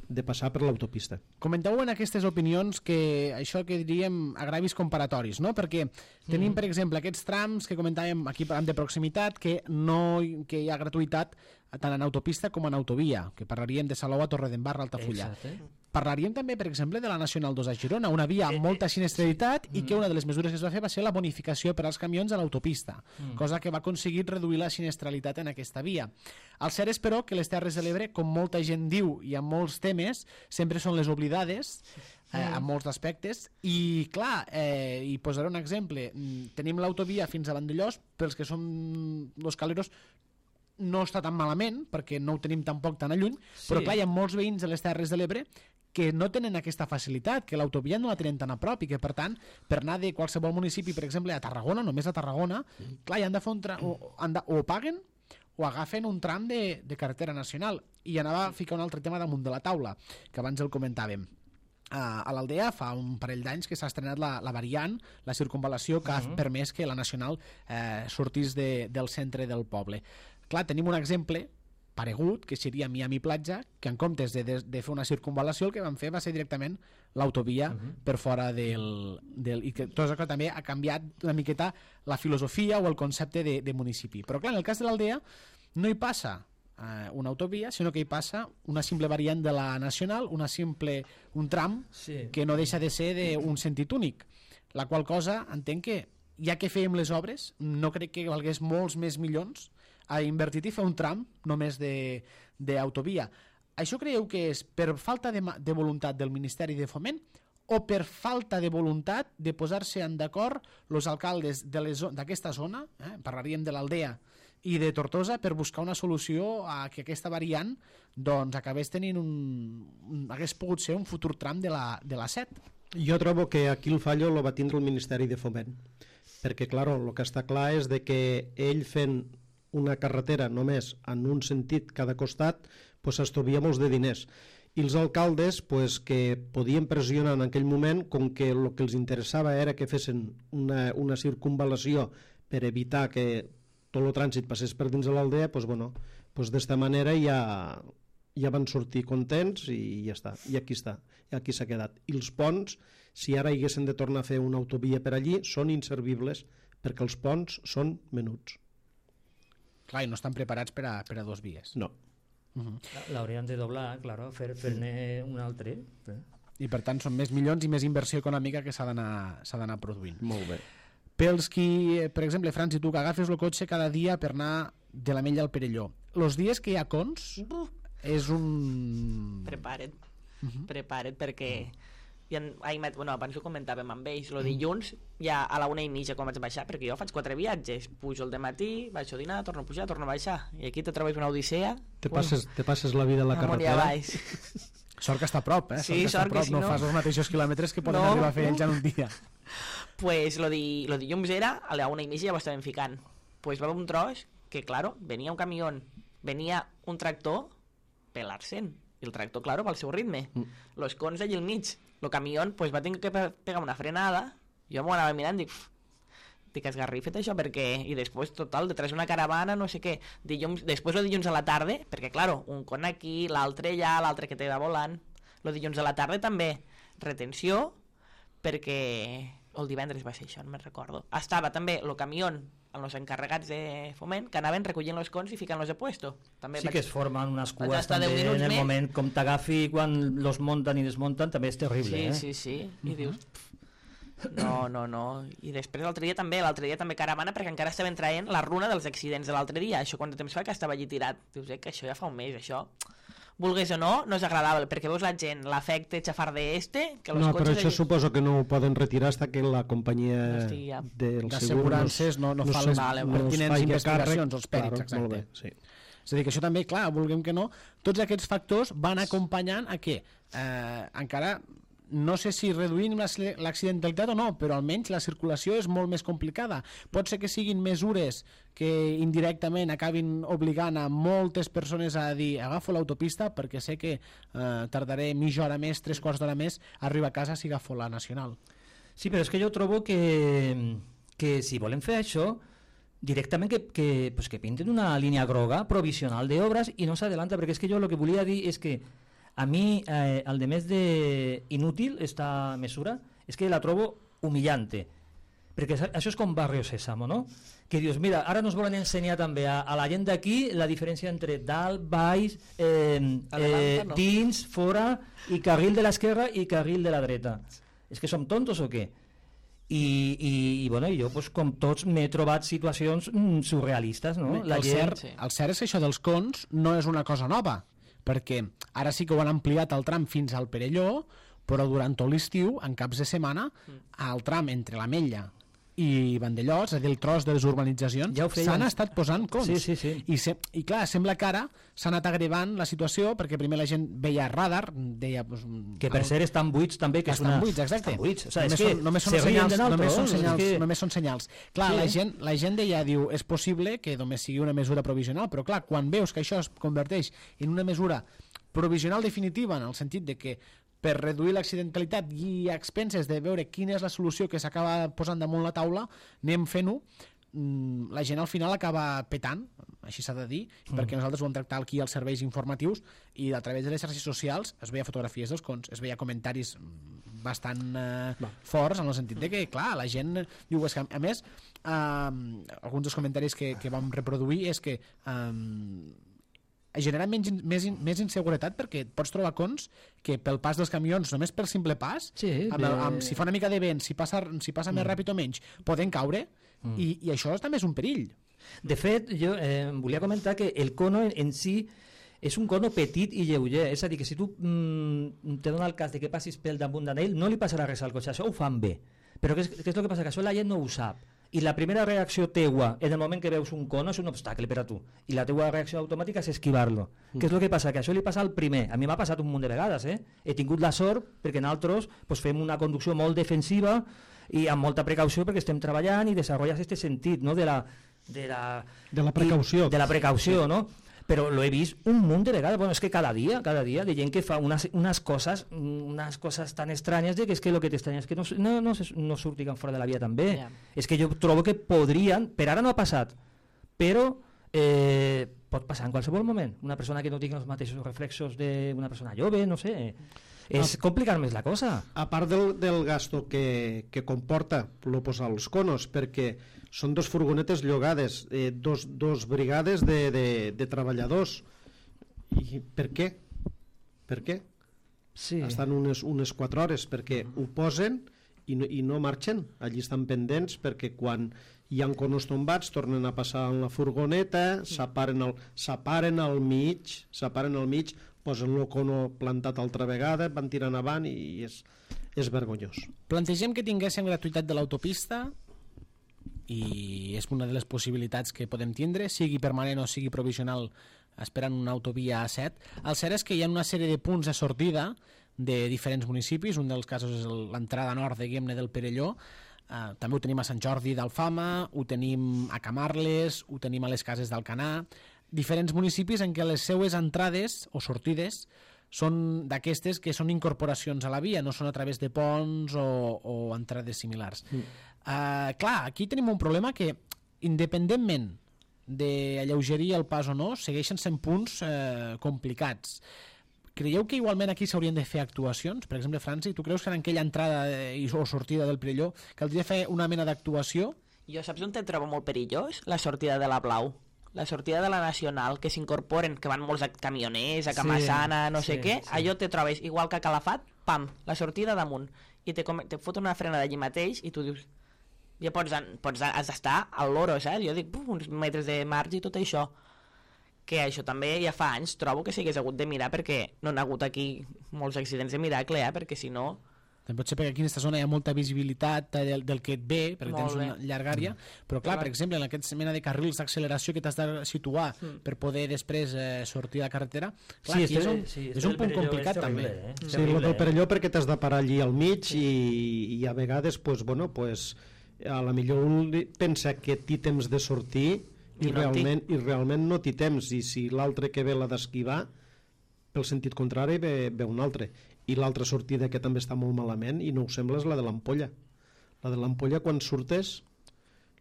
de passar per l'autopista. Comenteu en aquestes opinions que això que diríem agravis comparatoris, no? Perquè tenim, mm. per exemple, aquests trams que comentàvem aquí de proximitat, que no que hi ha gratuïtat tant en autopista com en autovia, que parlaríem de Salou a Torredembarra, Altafulla. Exacte. Parlaríem també, per exemple, de la Nacional dos a Girona, una via amb molta sinistralitat i que una de les mesures que es va fer va ser la bonificació per als camions a l'autopista, mm. cosa que va aconseguir reduir la sinistralitat en aquesta via. El cert és, però, que les Terres de l'Ebre, com molta gent diu i amb molts temes, sempre són les oblidades eh, en molts aspectes i, clar, eh, i posaré un exemple. Tenim l'autovia fins a Vandellós, pels que som los caleros no està tan malament, perquè no ho tenim tampoc tan a lluny, sí. Però clar, hi ha molts veïns de les Terres de l'Ebre que no tenen aquesta facilitat, que l'autovia no la tenen tan a prop i que, per tant, per anar de qualsevol municipi, per exemple, a Tarragona, només a Tarragona, mm. clar, hi han de fer un tra o, han de, o paguen o agafen un tram de, de carretera nacional. I anava a ficar un altre tema damunt de la taula, que abans el comentàvem. Uh, a l'Aldea fa un parell d'anys que s'ha estrenat la, la variant, la circunvalació que uh -huh. ha permès que la nacional eh, sortís de, del centre del poble. Clar, tenim un exemple paregut, que seria Miami Platja, que en comptes de, de, de fer una circunvalació el que van fer va ser directament l'autovia uh -huh. per fora del, del... i que tot això també ha canviat una miqueta la filosofia o el concepte de, de municipi. Però clar, en el cas de l'Aldea no hi passa eh, una autovia, sinó que hi passa una simple variant de la nacional, una simple, un tram sí. que no deixa de ser d'un sentit únic, la qual cosa entenc que ja que fèiem les obres no crec que valgués molts més milions a invertir i fer un tram només d'autovia. Això creieu que és per falta de, de voluntat del Ministeri de Foment o per falta de voluntat de posar-se en d'acord els alcaldes d'aquesta zona, eh? Parlaríem de l'Aldea i de Tortosa, per buscar una solució a que aquesta variant doncs, acabés tenint un, un... hagués pogut ser un futur tram de la, de la set? Jo trobo que aquí el fallo lo va tindre el Ministeri de Foment, perquè, clar, el que està clar és de que ell fent una carretera només en un sentit cada costat pues, estalvia molts de diners, i els alcaldes pues, que podien pressionar en aquell moment, com que el que els interessava era que fessin una, una circunvalació per evitar que tot el trànsit passés per dins de l'aldea, pues, bueno, pues, d'esta manera ja, ja van sortir contents i ja està, i aquí està, i aquí s'ha quedat. I els ponts, si ara haguessin de tornar a fer una autovia per allí, són inservibles perquè els ponts són menuts. Clar, i no estan preparats per a, per a dos vies. No. Uh -huh. L'haurien de doblar, claro, fer, fer-ne un altre. I per tant són més milions i més inversió econòmica que s'ha d'anar produint. Molt bé. Pels qui, per exemple, Franci, tu que agafes el cotxe cada dia per anar de l'Ametlla al Perelló, els dies que hi ha cons uh. és un... Prepara't, uh -huh. prepara't perquè... I en, ai, bueno, abans ho comentàvem amb ells, el dilluns ja a la una i mitja quan vaig baixar, perquè jo faig quatre viatges, pujo el dematí, baixo a dinar, torno a pujar, torno a baixar, i aquí te trobes una odissea. Te passes, te passes la vida a la carretera. Sort que està a prop, eh? Sí, sort que, sort que si no, no fas els mateixos quilòmetres que poden no. arribar a fer ells en un dia. Pues lo, di, lo dilluns era, a la una i mitja ja ho estàvem ficant. Pues va haver un tros que, claro, venia un camió, venia un tractor pelar-se'n, i el tractor, claro, va al seu ritme. Mm. Los cons allà al mig. El camió pues, va tenir que pegar una frenada, jo m'ho anava mirant i dic, dic, esgarrifa't això, perquè... I després, total, detrás una caravana, no sé què. Dilluns, després el dilluns a la tarda, perquè, claro, un con aquí, l'altre allà, l'altre que te va volant. El dilluns a la tarda també, retenció, perquè el divendres va ser això, no me'n recordo. Estava també el camió amb els encarregats de foment que anaven recollint els cons i ficant-los a puesto. També sí vaig... que es formen unes vaig cues estar també deu en minuts el més. moment com t'agafi quan los munten i desmunten, també és terrible, Sí, eh? sí, sí. I dius... pff, No, no, no. I després l'altre dia també, l'altre dia també caravana, perquè encara estaven traient la runa dels accidents de l'altre dia. Això quant de temps fa que estava allí tirat. Dius, eh, que això ja fa un mes, això. Vulgués o no, no és agradable, perquè veus la gent, l'efecte xafarder este... Que los No, però cotxes això allí... suposo que no ho poden retirar fins que la companyia No estigui ja. dels d'assegurances no, no, no fa les vale, vale. pertinents faci investigacions, càrrec. els pèrits, Claro, molt exacte. bé, sí. És a dir, que això també, clar, vulguem que no, tots aquests factors van acompanyant a què? Eh, encara, no sé si reduïm l'accidentalitat o no, però almenys la circulació és molt més complicada. Pot ser que siguin mesures que indirectament acabin obligant a moltes persones a dir agafo l'autopista perquè sé que eh, tardaré mitja hora més, tres quarts d'hora més a arribar a casa si agafo la nacional. Sí, però és que jo trobo que, que si volem fer això, directament que, que, pues que pinten una línia groga provisional d'obres i no s'adelanta, perquè és que jo el que volia dir és que a mi, eh, el de més de inútil, esta mesura, és que la trobo humillante. Perquè això és com Barrio Sésamo, no? Que dius, mira, ara nos volen ensenyar també a, a la gent d'aquí la diferència entre dalt, baix, eh, eh, no? dins, fora, i carril de l'esquerra i carril de la dreta. És que som tontos o què? I, i, i bueno, jo, pues, com tots, m'he trobat situacions mm, surrealistes, no? La el, gent... cert, sí. el cert és que això dels cons no és una cosa nova, perquè ara sí que ho han ampliat el tram fins al Perelló, però durant tot l'estiu, en caps de setmana, el tram entre l'Ametlla i Vandellós, és a dir, el tros de les urbanitzacions, ja s'han estat posant cons. Sí, sí, sí. I, se, I clar, sembla que ara s'ha anat agravant la situació, perquè primer la gent veia radar, deia... Pues, que per ser estan buits també, que és estan una... buits, exacte. Estan buits, o sigui, només, és que són, només, són se rien senyals, de només són nosaltres, senyals, és que... només són senyals. Clar, Sí. la, gent, la gent deia, diu, és possible que només sigui una mesura provisional, però clar, quan veus que això es converteix en una mesura provisional definitiva, en el sentit de que per reduir l'accidentalitat i a expenses de veure quina és la solució que s'acaba posant damunt la taula, anem fent-ho, la gent al final acaba petant, així s'ha de dir, mm. perquè nosaltres ho vam tractar aquí als serveis informatius i a través de les xarxes socials es veia fotografies dels cons, es veia comentaris bastant eh, forts en el sentit de que, clar, la gent diu, és que a més, eh, alguns dels comentaris que, que vam reproduir és que eh, genera menys, més, més inseguretat perquè pots trobar cons que pel pas dels camions, només pel simple pas, sí, amb, el, amb, si fa una mica de vent, si passa, si passa mm. més ràpid o menys, poden caure mm. i, i això també és un perill. De fet, jo eh, volia comentar que el cono en, en si és un cono petit i lleuger, és a dir, que si tu mm, te dona el cas de que passis pel damunt d'ell, no li passarà res al cotxe, això ho fan bé. Però què és, què és el que passa? Que això la gent no ho sap. I la primera reacció teua en el moment que veus un cono és un obstacle per a tu, i la teua reacció automàtica és esquivar-lo. Mm. Què és el que passa? Que això li passa al primer. A mi m'ha passat un munt de vegades, eh? He tingut la sort perquè nosaltres pues, fem una conducció molt defensiva i amb molta precaució perquè estem treballant i desenvolupes aquest sentit, no? de, la, de, la, de la precaució. De la precaució, no? Però lo he vist un munt de vegades, bueno, és que cada dia, cada dia, de gent que fa unes, unes coses unes coses tan estranyes de que és que el que t'estranya és que no, no, no, no surtin fora de la via també. Yeah. És que jo trobo que podrien, per ara no ha passat, però eh, pot passar en qualsevol moment. Una persona que no tingui els mateixos reflexos d'una persona jove, no sé, és ah, complicar més la cosa. A part del, del gasto que, que comporta lo posar els conos, perquè són dos furgonetes llogades, eh, dos, dos brigades de, de, de treballadors. I per què? Per què? Sí. Estan unes, unes quatre hores, perquè mm. ho posen i no, i no marxen. Allí estan pendents perquè quan hi ha conos tombats tornen a passar en la furgoneta, s'aparen al, s'aparen al mig, s'aparen al mig, posen el cono plantat altra vegada, van tirant avant i és, és vergonyós. Plantegem que tinguéssim gratuïtat de l'autopista i és una de les possibilitats que podem tindre, sigui permanent o sigui provisional, esperant una autovia A set. El cert és que hi ha una sèrie de punts de sortida de diferents municipis, un dels casos és l'entrada nord de Guemne del Perelló, uh, també ho tenim a Sant Jordi d'Alfama, ho tenim a Camarles, ho tenim a les Cases d'Alcanar, diferents municipis en què les seues entrades o sortides són d'aquestes que són incorporacions a la via, no són a través de ponts o, o entrades similars. Mm. Uh, clar, aquí tenim un problema que, independentment d'alleugerir el pas o no, segueixen sent punts eh, complicats. Creieu que igualment aquí s'haurien de fer actuacions? Per exemple, Franci, tu creus que en aquella entrada eh, o sortida del Perelló caldria fer una mena d'actuació? Jo saps on te trobo molt perillós? La sortida de la Blau. La sortida de la Nacional, que s'incorporen, que van molts camioners, a Camassana, no sé sí, què, sí. allò te trobes igual que a Calafat, pam, la sortida damunt, i te, com, te fot una frenada allí mateix i tu dius, ja pots, pots has d'estar al loro, saps? Jo dic, uf, uns metres de marge i tot això. Que això també ja fa anys trobo que s'hagués hagut de mirar, perquè no han hagut aquí molts accidents de miracle, eh? Perquè si no... Pot ser perquè aquí en aquesta zona hi ha molta visibilitat del, del que et ve, perquè Molt tens bé. una llarga àrea, però clar, per exemple, en aquesta mena de carrils d'acceleració que t'has de situar Mm. per poder després eh, sortir a la carretera, clar, Sí, aquí és este- un, sí, és este un del punt Perelló complicat és també. terrible, eh? Sí, Terrible, el del eh? Perelló perquè t'has de parar allí al mig i, i a vegades pues, bueno, pues, a la millor un li- pensa que té temps de sortir i, I no en té. realment, i realment no té temps, i si l'altre que ve l'ha d'esquivar pel sentit contrari ve, ve un altre, i l'altra sortida que també està molt malament i no ho sembla és la de l'Ampolla. La de l'Ampolla, quan surtes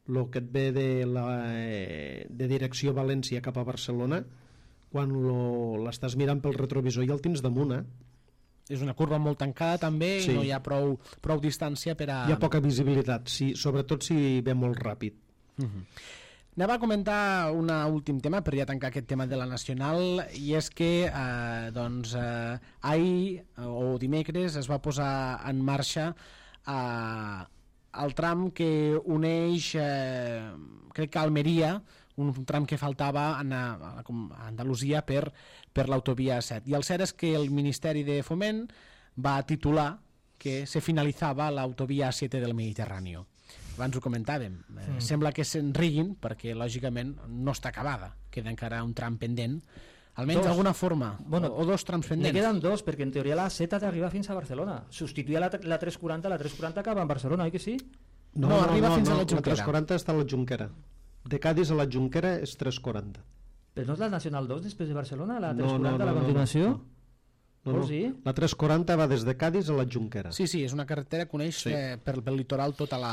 el que et ve de, la, eh, de direcció València cap a Barcelona, quan lo- l'estàs mirant pel retrovisor i el tens damunt, eh? És una curva molt tancada també Sí. i no hi ha prou, prou distància per a... Hi ha poca visibilitat, sí, sobretot si ve molt ràpid. Anem a comentar un últim tema per ja tancar aquest tema de la Nacional, i és que eh, doncs, eh, ahir eh, o dimecres es va posar en marxa eh, el tram que uneix eh, crec que Almeria, un tram que faltava a, a, a Andalusia per, per l'autovia set, i el cert és que el Ministeri de Foment va titular que se finalitzava l'autovia siete del Mediterrani. Abans ho comentàvem, eh, mm. sembla que se'n riguin perquè lògicament no està acabada, queda encara un tram pendent, almenys Dos. d'alguna forma, Bueno, o, o dos trams Ne pendents. queden dos, perquè en teoria la Z t'arriba fins a Barcelona. Substituir la, la tres quaranta, la tres quaranta acaba en Barcelona, oi que sí? No, arriba fins a la Jonquera. La tres quaranta està a la Jonquera. De Cádiz a la Jonquera és tres quaranta. Però no és la Nacional dos després de Barcelona, la No, tres quaranta, no, no, la no, continuació? no. No, no. Vols dir? La tres quaranta va des de Cádiz a la Jonquera. Sí, sí, és una carretera que uneix Sí. eh, per, pel litoral tota la...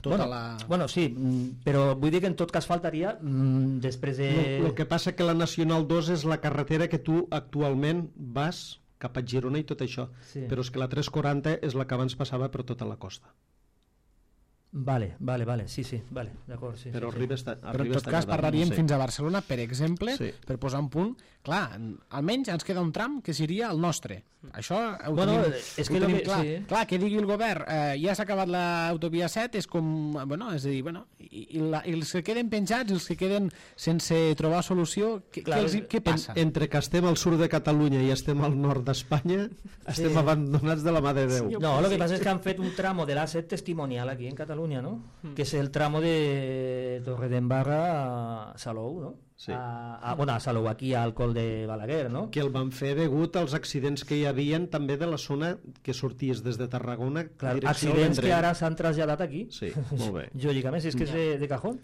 Tota Bueno, la... bueno, sí, mm, però vull dir que en tot cas faltaria mm, després de... El que passa que la Nacional dos és la carretera que tu actualment vas cap a Girona i tot això, Sí. però és que la tres quaranta és la que abans passava per tota la costa. Vale, vale, vale, sí, sí, vale, d'acord, sí. Però sí, arriba sí. està, Però en arriba tot està cas quedant, parlaríem no sé. fins a Barcelona, per exemple, Sí. per posar un punt. Clar, almenys ens queda un tram que seria el nostre. Això ho Bueno, tenim, és ho que lo tenim que- clar. sí. Clar, que digui el govern, eh, ja s'ha acabat l'autovia set, és com... Bueno, és a dir, bueno, i, i, la, i els que queden penjats, els que queden sense trobar solució, què, Clar, què, els, hi- què En, passa? entre que estem al sud de Catalunya i estem al nord d'Espanya, estem abandonats de la mà de Déu. No, lo que pasa es que han fet un tramo de l'A set testimonial aquí en Catalunya, ¿no? Que es el tramo de Torredembarra a Salou, ¿no? Sí. A, a, bueno, a Salou, aquí al Col de Balaguer, ¿no? Que el van fer degut als accidents que hi havien també de la zona que sorties des de Tarragona. Clar, direcció al accidents que Vendrell. ara s'han traslladat aquí. Sí, molt bé. Lògicament, si és que és de, de cajón.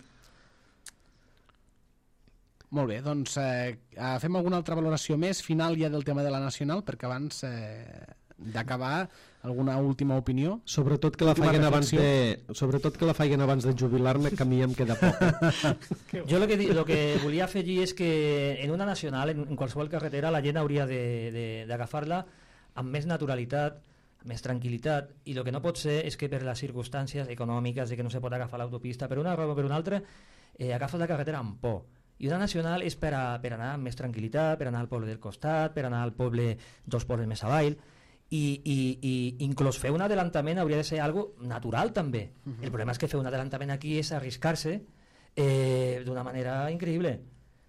Molt bé, doncs eh, eh, fem alguna altra valoració més final ja del tema de la Nacional, perquè abans eh, d'acabar, alguna última opinió? Sobretot que la Última faiguen abans reflexió. de, sobretot que la faiguen abans de jubilar-me, que a mi em queda poc. Jo lo que, di- lo que volia afegir és que en una nacional, en, en qualsevol carretera, la gent hauria de- de- d'agafar-la amb més naturalitat, amb més tranquil·litat, i el que no pot ser és que per les circumstàncies econòmiques de que no se pot agafar l'autopista per una raó o per una altra, eh, agafes la carretera amb por. I una nacional és per, a, per anar amb més tranquil·litat, per anar al poble del costat, per anar al poble dos pobles més avall, i, i, i inclús fer un adelantament hauria de ser algo natural també. Uh -huh. El problema és que fer un adelantament aquí és arriscar-se eh, d'una manera increïble.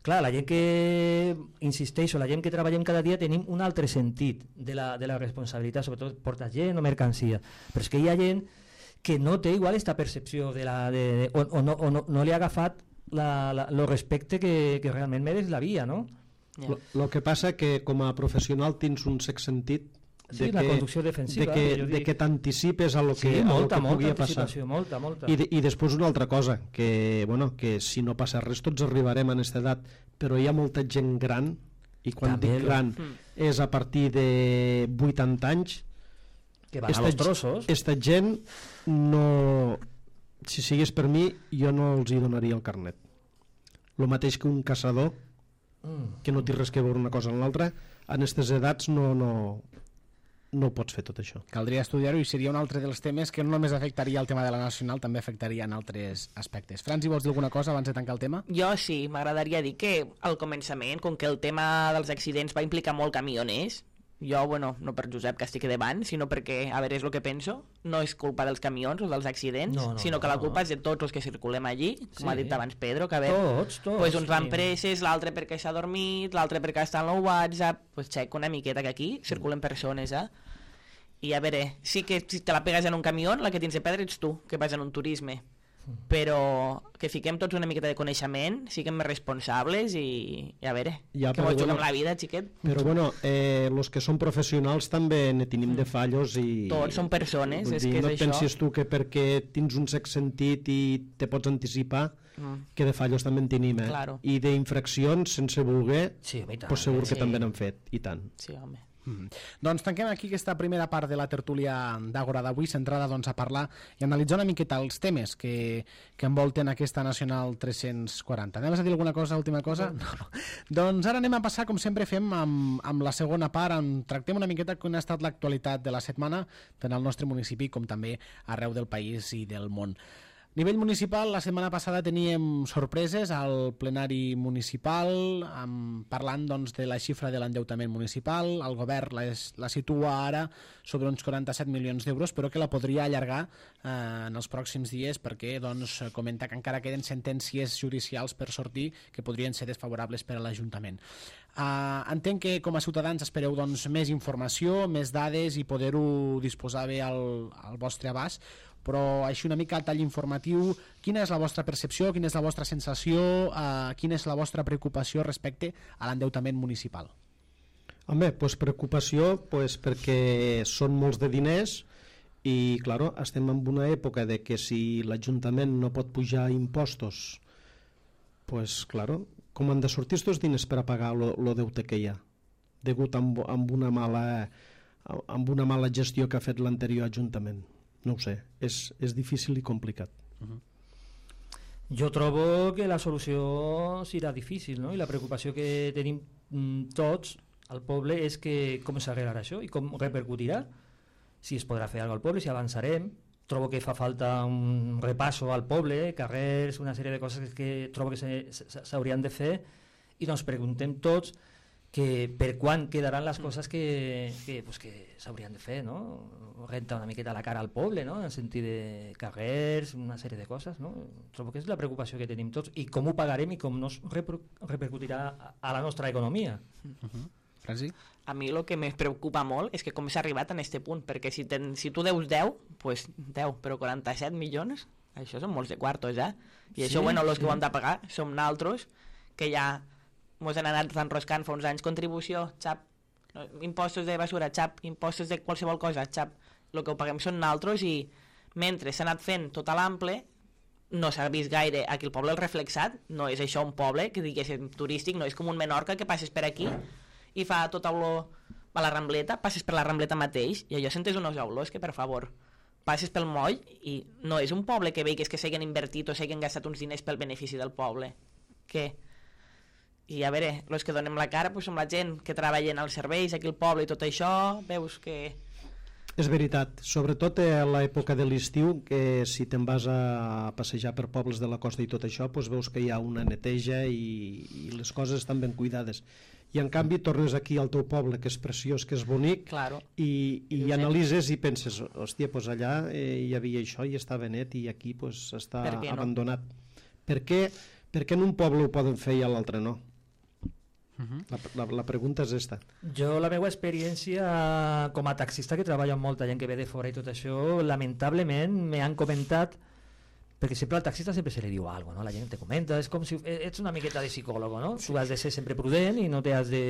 Clar, la gent que, insisteixo, la gent que treballem cada dia tenim un altre sentit de la, de la responsabilitat, sobretot portar gent o mercancia, però és que hi ha gent que no té igual esta percepció de la, de, de, o, o, no, o no, no li ha agafat la, la, lo respecte que, que realment mereix la via, no? Ja. El que passa que com a professional tens un sex sentit Sí, de la que, conducció defensiva, de que, jo de dic. que t'anticipes a lo que, Sí, a lo molta, que molta pugui passar. anticipació, molta, molta. I, de, I després una altra cosa, que, bueno, que si no passa res tots arribarem a aquesta edat, però hi ha molta gent gran, i quan També, dic gran Mm. és a partir de vuitanta anys, Que van a esta, los trossos. esta gent no, si sigués per mi, jo no els hi donaria el carnet. El mateix que un caçador, mm. que no té res que veure una cosa amb l'altra, en aquestes edats no, no, no pots fer tot això. Caldria estudiar-ho i seria un altre dels temes que no només afectaria el tema de la nacional, també afectaria en altres aspectes. Franci, vols dir alguna cosa abans de tancar el tema? Jo sí, m'agradaria dir que al començament, com que el tema dels accidents va implicar molt camioners, jo, bueno, no per Josep que estic davant, sinó perquè, a veure, és el que penso, no és culpa dels camions o dels accidents, no, no, sinó que la no. culpa és de tots els que circulem allí, com sí. ha dit abans Pedro, que a veure, tots, tots, pues uns van sí. presses, l'altre perquè s'ha dormit, l'altre perquè està en el WhatsApp, pues xec una miqueta que aquí circulen persones, eh? I a veure, sí que si te la pegues en un camió, la que tens de perdre ets tu, que vas en un turisme, però que fiquem tots una miqueta de coneixement, siguem més responsables i, i a veure, ja, que mos bueno, juguem la vida, xiquet. Però bueno, eh, los que són professionals també ne tenim de fallos i... Tots són persones, vull és dir, que és no això. pensis tu que perquè tens un sex sentit i te pots anticipar Mm. que de fallos també en tenim, eh? Claro. I d'infraccions sense voler, Sí, home, i tant, pues segur que sí. també n'han fet, i tant. Sí, home. Mm. Doncs tanquem aquí aquesta primera part de la tertúlia d'Àgora d'avui, centrada doncs, a parlar i analitzar una miqueta els temes que, que envolten aquesta Nacional tres-cents quaranta. Anem a dir alguna cosa, última cosa? No. no. Doncs ara anem a passar, com sempre fem, amb, amb la segona part, on tractem una miqueta com ha estat l'actualitat de la setmana, tant al nostre municipi com també arreu del país i del món. A nivell municipal, la setmana passada teníem sorpreses al plenari municipal, amb, parlant doncs, de la xifra de l'endeutament municipal. El govern la, la situa ara sobre uns quaranta-set milions d'euros, però que la podria allargar eh, en els pròxims dies perquè doncs, comenta que encara queden sentències judicials per sortir que podrien ser desfavorables per a l'Ajuntament. Uh, entenc que com a ciutadans espereu doncs, més informació, més dades i poder-ho disposar bé al, al vostre abast, però així una mica a tall informatiu, quina és la vostra percepció, quina és la vostra sensació, uh, quina és la vostra preocupació respecte a l'endeutament municipal? Home, pues preocupació pues, perquè són molts de diners i, claro, estem en una època de que si l'Ajuntament no pot pujar impostos, pues, claro, com han de sortir aquests diners per a pagar el deute que hi ha, degut amb, amb, una mala, amb una mala gestió que ha fet l'anterior Ajuntament? No ho sé, és, és difícil i complicat. Uh-huh. Jo trobo que la solució serà difícil, no? I la preocupació que tenim mm, tots al poble és que com s'arreglarà això i com repercutirà, si es podrà fer alguna cosa al poble, si avançarem. Trobo que fa falta un repasso al poble, carrers, una sèrie de coses que trobo que s'haurien de fer i doncs preguntem tots que per quan quedaran les coses que, que, pues que s'haurien de fer, no? Rentar una miqueta la cara al poble, no? En el sentit de carrers, una sèrie de coses, no? Trobo que és la preocupació que tenim tots i com ho pagarem i com no reper repercutirà a la nostra economia. Uh-huh. Franci? A mi el que me preocupa molt és que com s'ha arribat a aquest punt, perquè si, ten, si tu deus deu, pues deu, però quaranta-set milions, això són molts de quartos, eh? I sí, això, bueno, els sí. que ho hem de pagar som naltros, que ja mos han anat enroscant fa uns anys, contribució, xap, impostos de basura, xap, impostos de qualsevol cosa, xap, el que ho paguem són naltros i mentre s'ha anat fent tot a l'ample no s'ha vist gaire aquí el poble el reflexat, no és això un poble que diguéssim turístic, no és com un Menorca que passes per aquí i fa tota olor a la Rambleta, passes per la Rambleta mateix i allò sentes unes olors que per favor passes pel moll i no és un poble que veigues que s'hagin invertit o s'hagin gastat uns diners pel benefici del poble, què? I a veure, els que donem la cara pues, som la gent que treballen als serveis aquí al poble i tot això, veus que... És veritat, sobretot a l'època de l'estiu, que si te'n vas a passejar per pobles de la costa i tot això, doncs veus que hi ha una neteja i, i les coses estan ben cuidades. I en canvi tornes aquí al teu poble, que és preciós, que és bonic, claro. i, i, I analitzes i penses, hòstia, doncs allà eh, hi havia això i estava net i aquí doncs, està per no? abandonat. Per què, per què en un poble ho poden fer i a l'altre no? Uh-huh. la, la, la pregunta és esta. Jo la meva experiència com a taxista, que treballa amb molta gent que ve de fora i tot això, lamentablement me han comentat, perquè sempre al taxista sempre se li diu alguna cosa, no? La gent te comenta, és com si ets una miqueta de psicòleg, no? Sí. Tu has de ser sempre prudent i no t'has de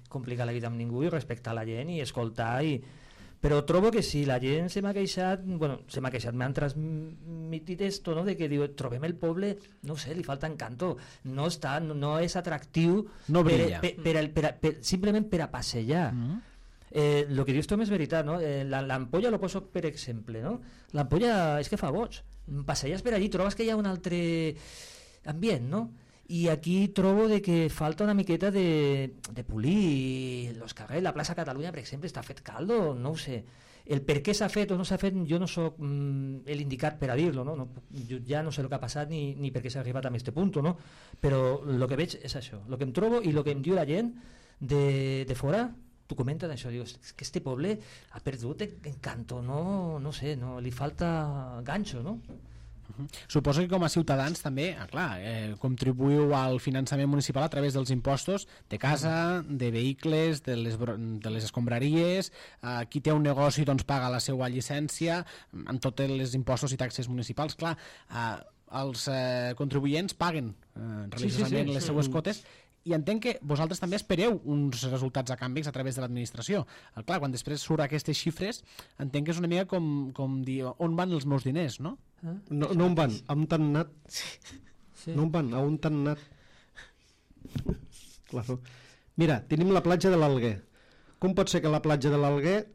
complicar la vida amb ningú i respectar la gent i escoltar i... Però trobo que si la gent se m'ha queixat, bueno, se m'ha queixat, m'han transmitit esto, no? De que diu, trobem el poble, no sé, li falta encanto, no està, no, no és atractiu no brilla. per, per, per, per, per, simplement per a passejar. Mm-hmm. Eh, lo que dius tu és veritat, no? Eh, la, l'ampolla lo poso per exemple, no? L'ampolla és que fa boig. Passeges per allí, trobes que hi ha un altre ambient, no? I aquí trobo de que falta una miqueta de, de polir los carrers. La plaça Catalunya, per exemple, està fet caldo, no ho sé. El per què s'ha fet o no s'ha fet, jo no sóc mm, l'indicat per a dir-lo, no? No, jo ja no sé el que ha passat ni, ni per què s'ha arribat a aquest punt, no? Però el que veig és això, el que em trobo i el que em diu la gent de, de fora, tu comentes això, dius, és que este poble ha perdut encanto, no, no sé, no, li falta ganxo, no? Uh-huh. Suposo que com a ciutadans també, ah, clar, eh, contribuïu al finançament municipal a través dels impostos de casa, de vehicles, de les, de les escombraries, eh, qui té un negoci doncs paga la seva llicència amb tots els impostos i taxes municipals. Clar, eh, els eh, contribuents paguen eh, religiosament sí, sí, sí. les seues quotes, i entenc que vosaltres també espereu uns resultats a canvis a través de l'administració. Clar, quan després surt aquestes xifres, entenc que és una mica com, com dir on van els meus diners, no? Eh? No, no on van, on t'han anat. Sí. No on van, on t'han anat. Claro. Mira, tenim la platja de l'Alguer. Com pot ser que a la platja de l'Alguer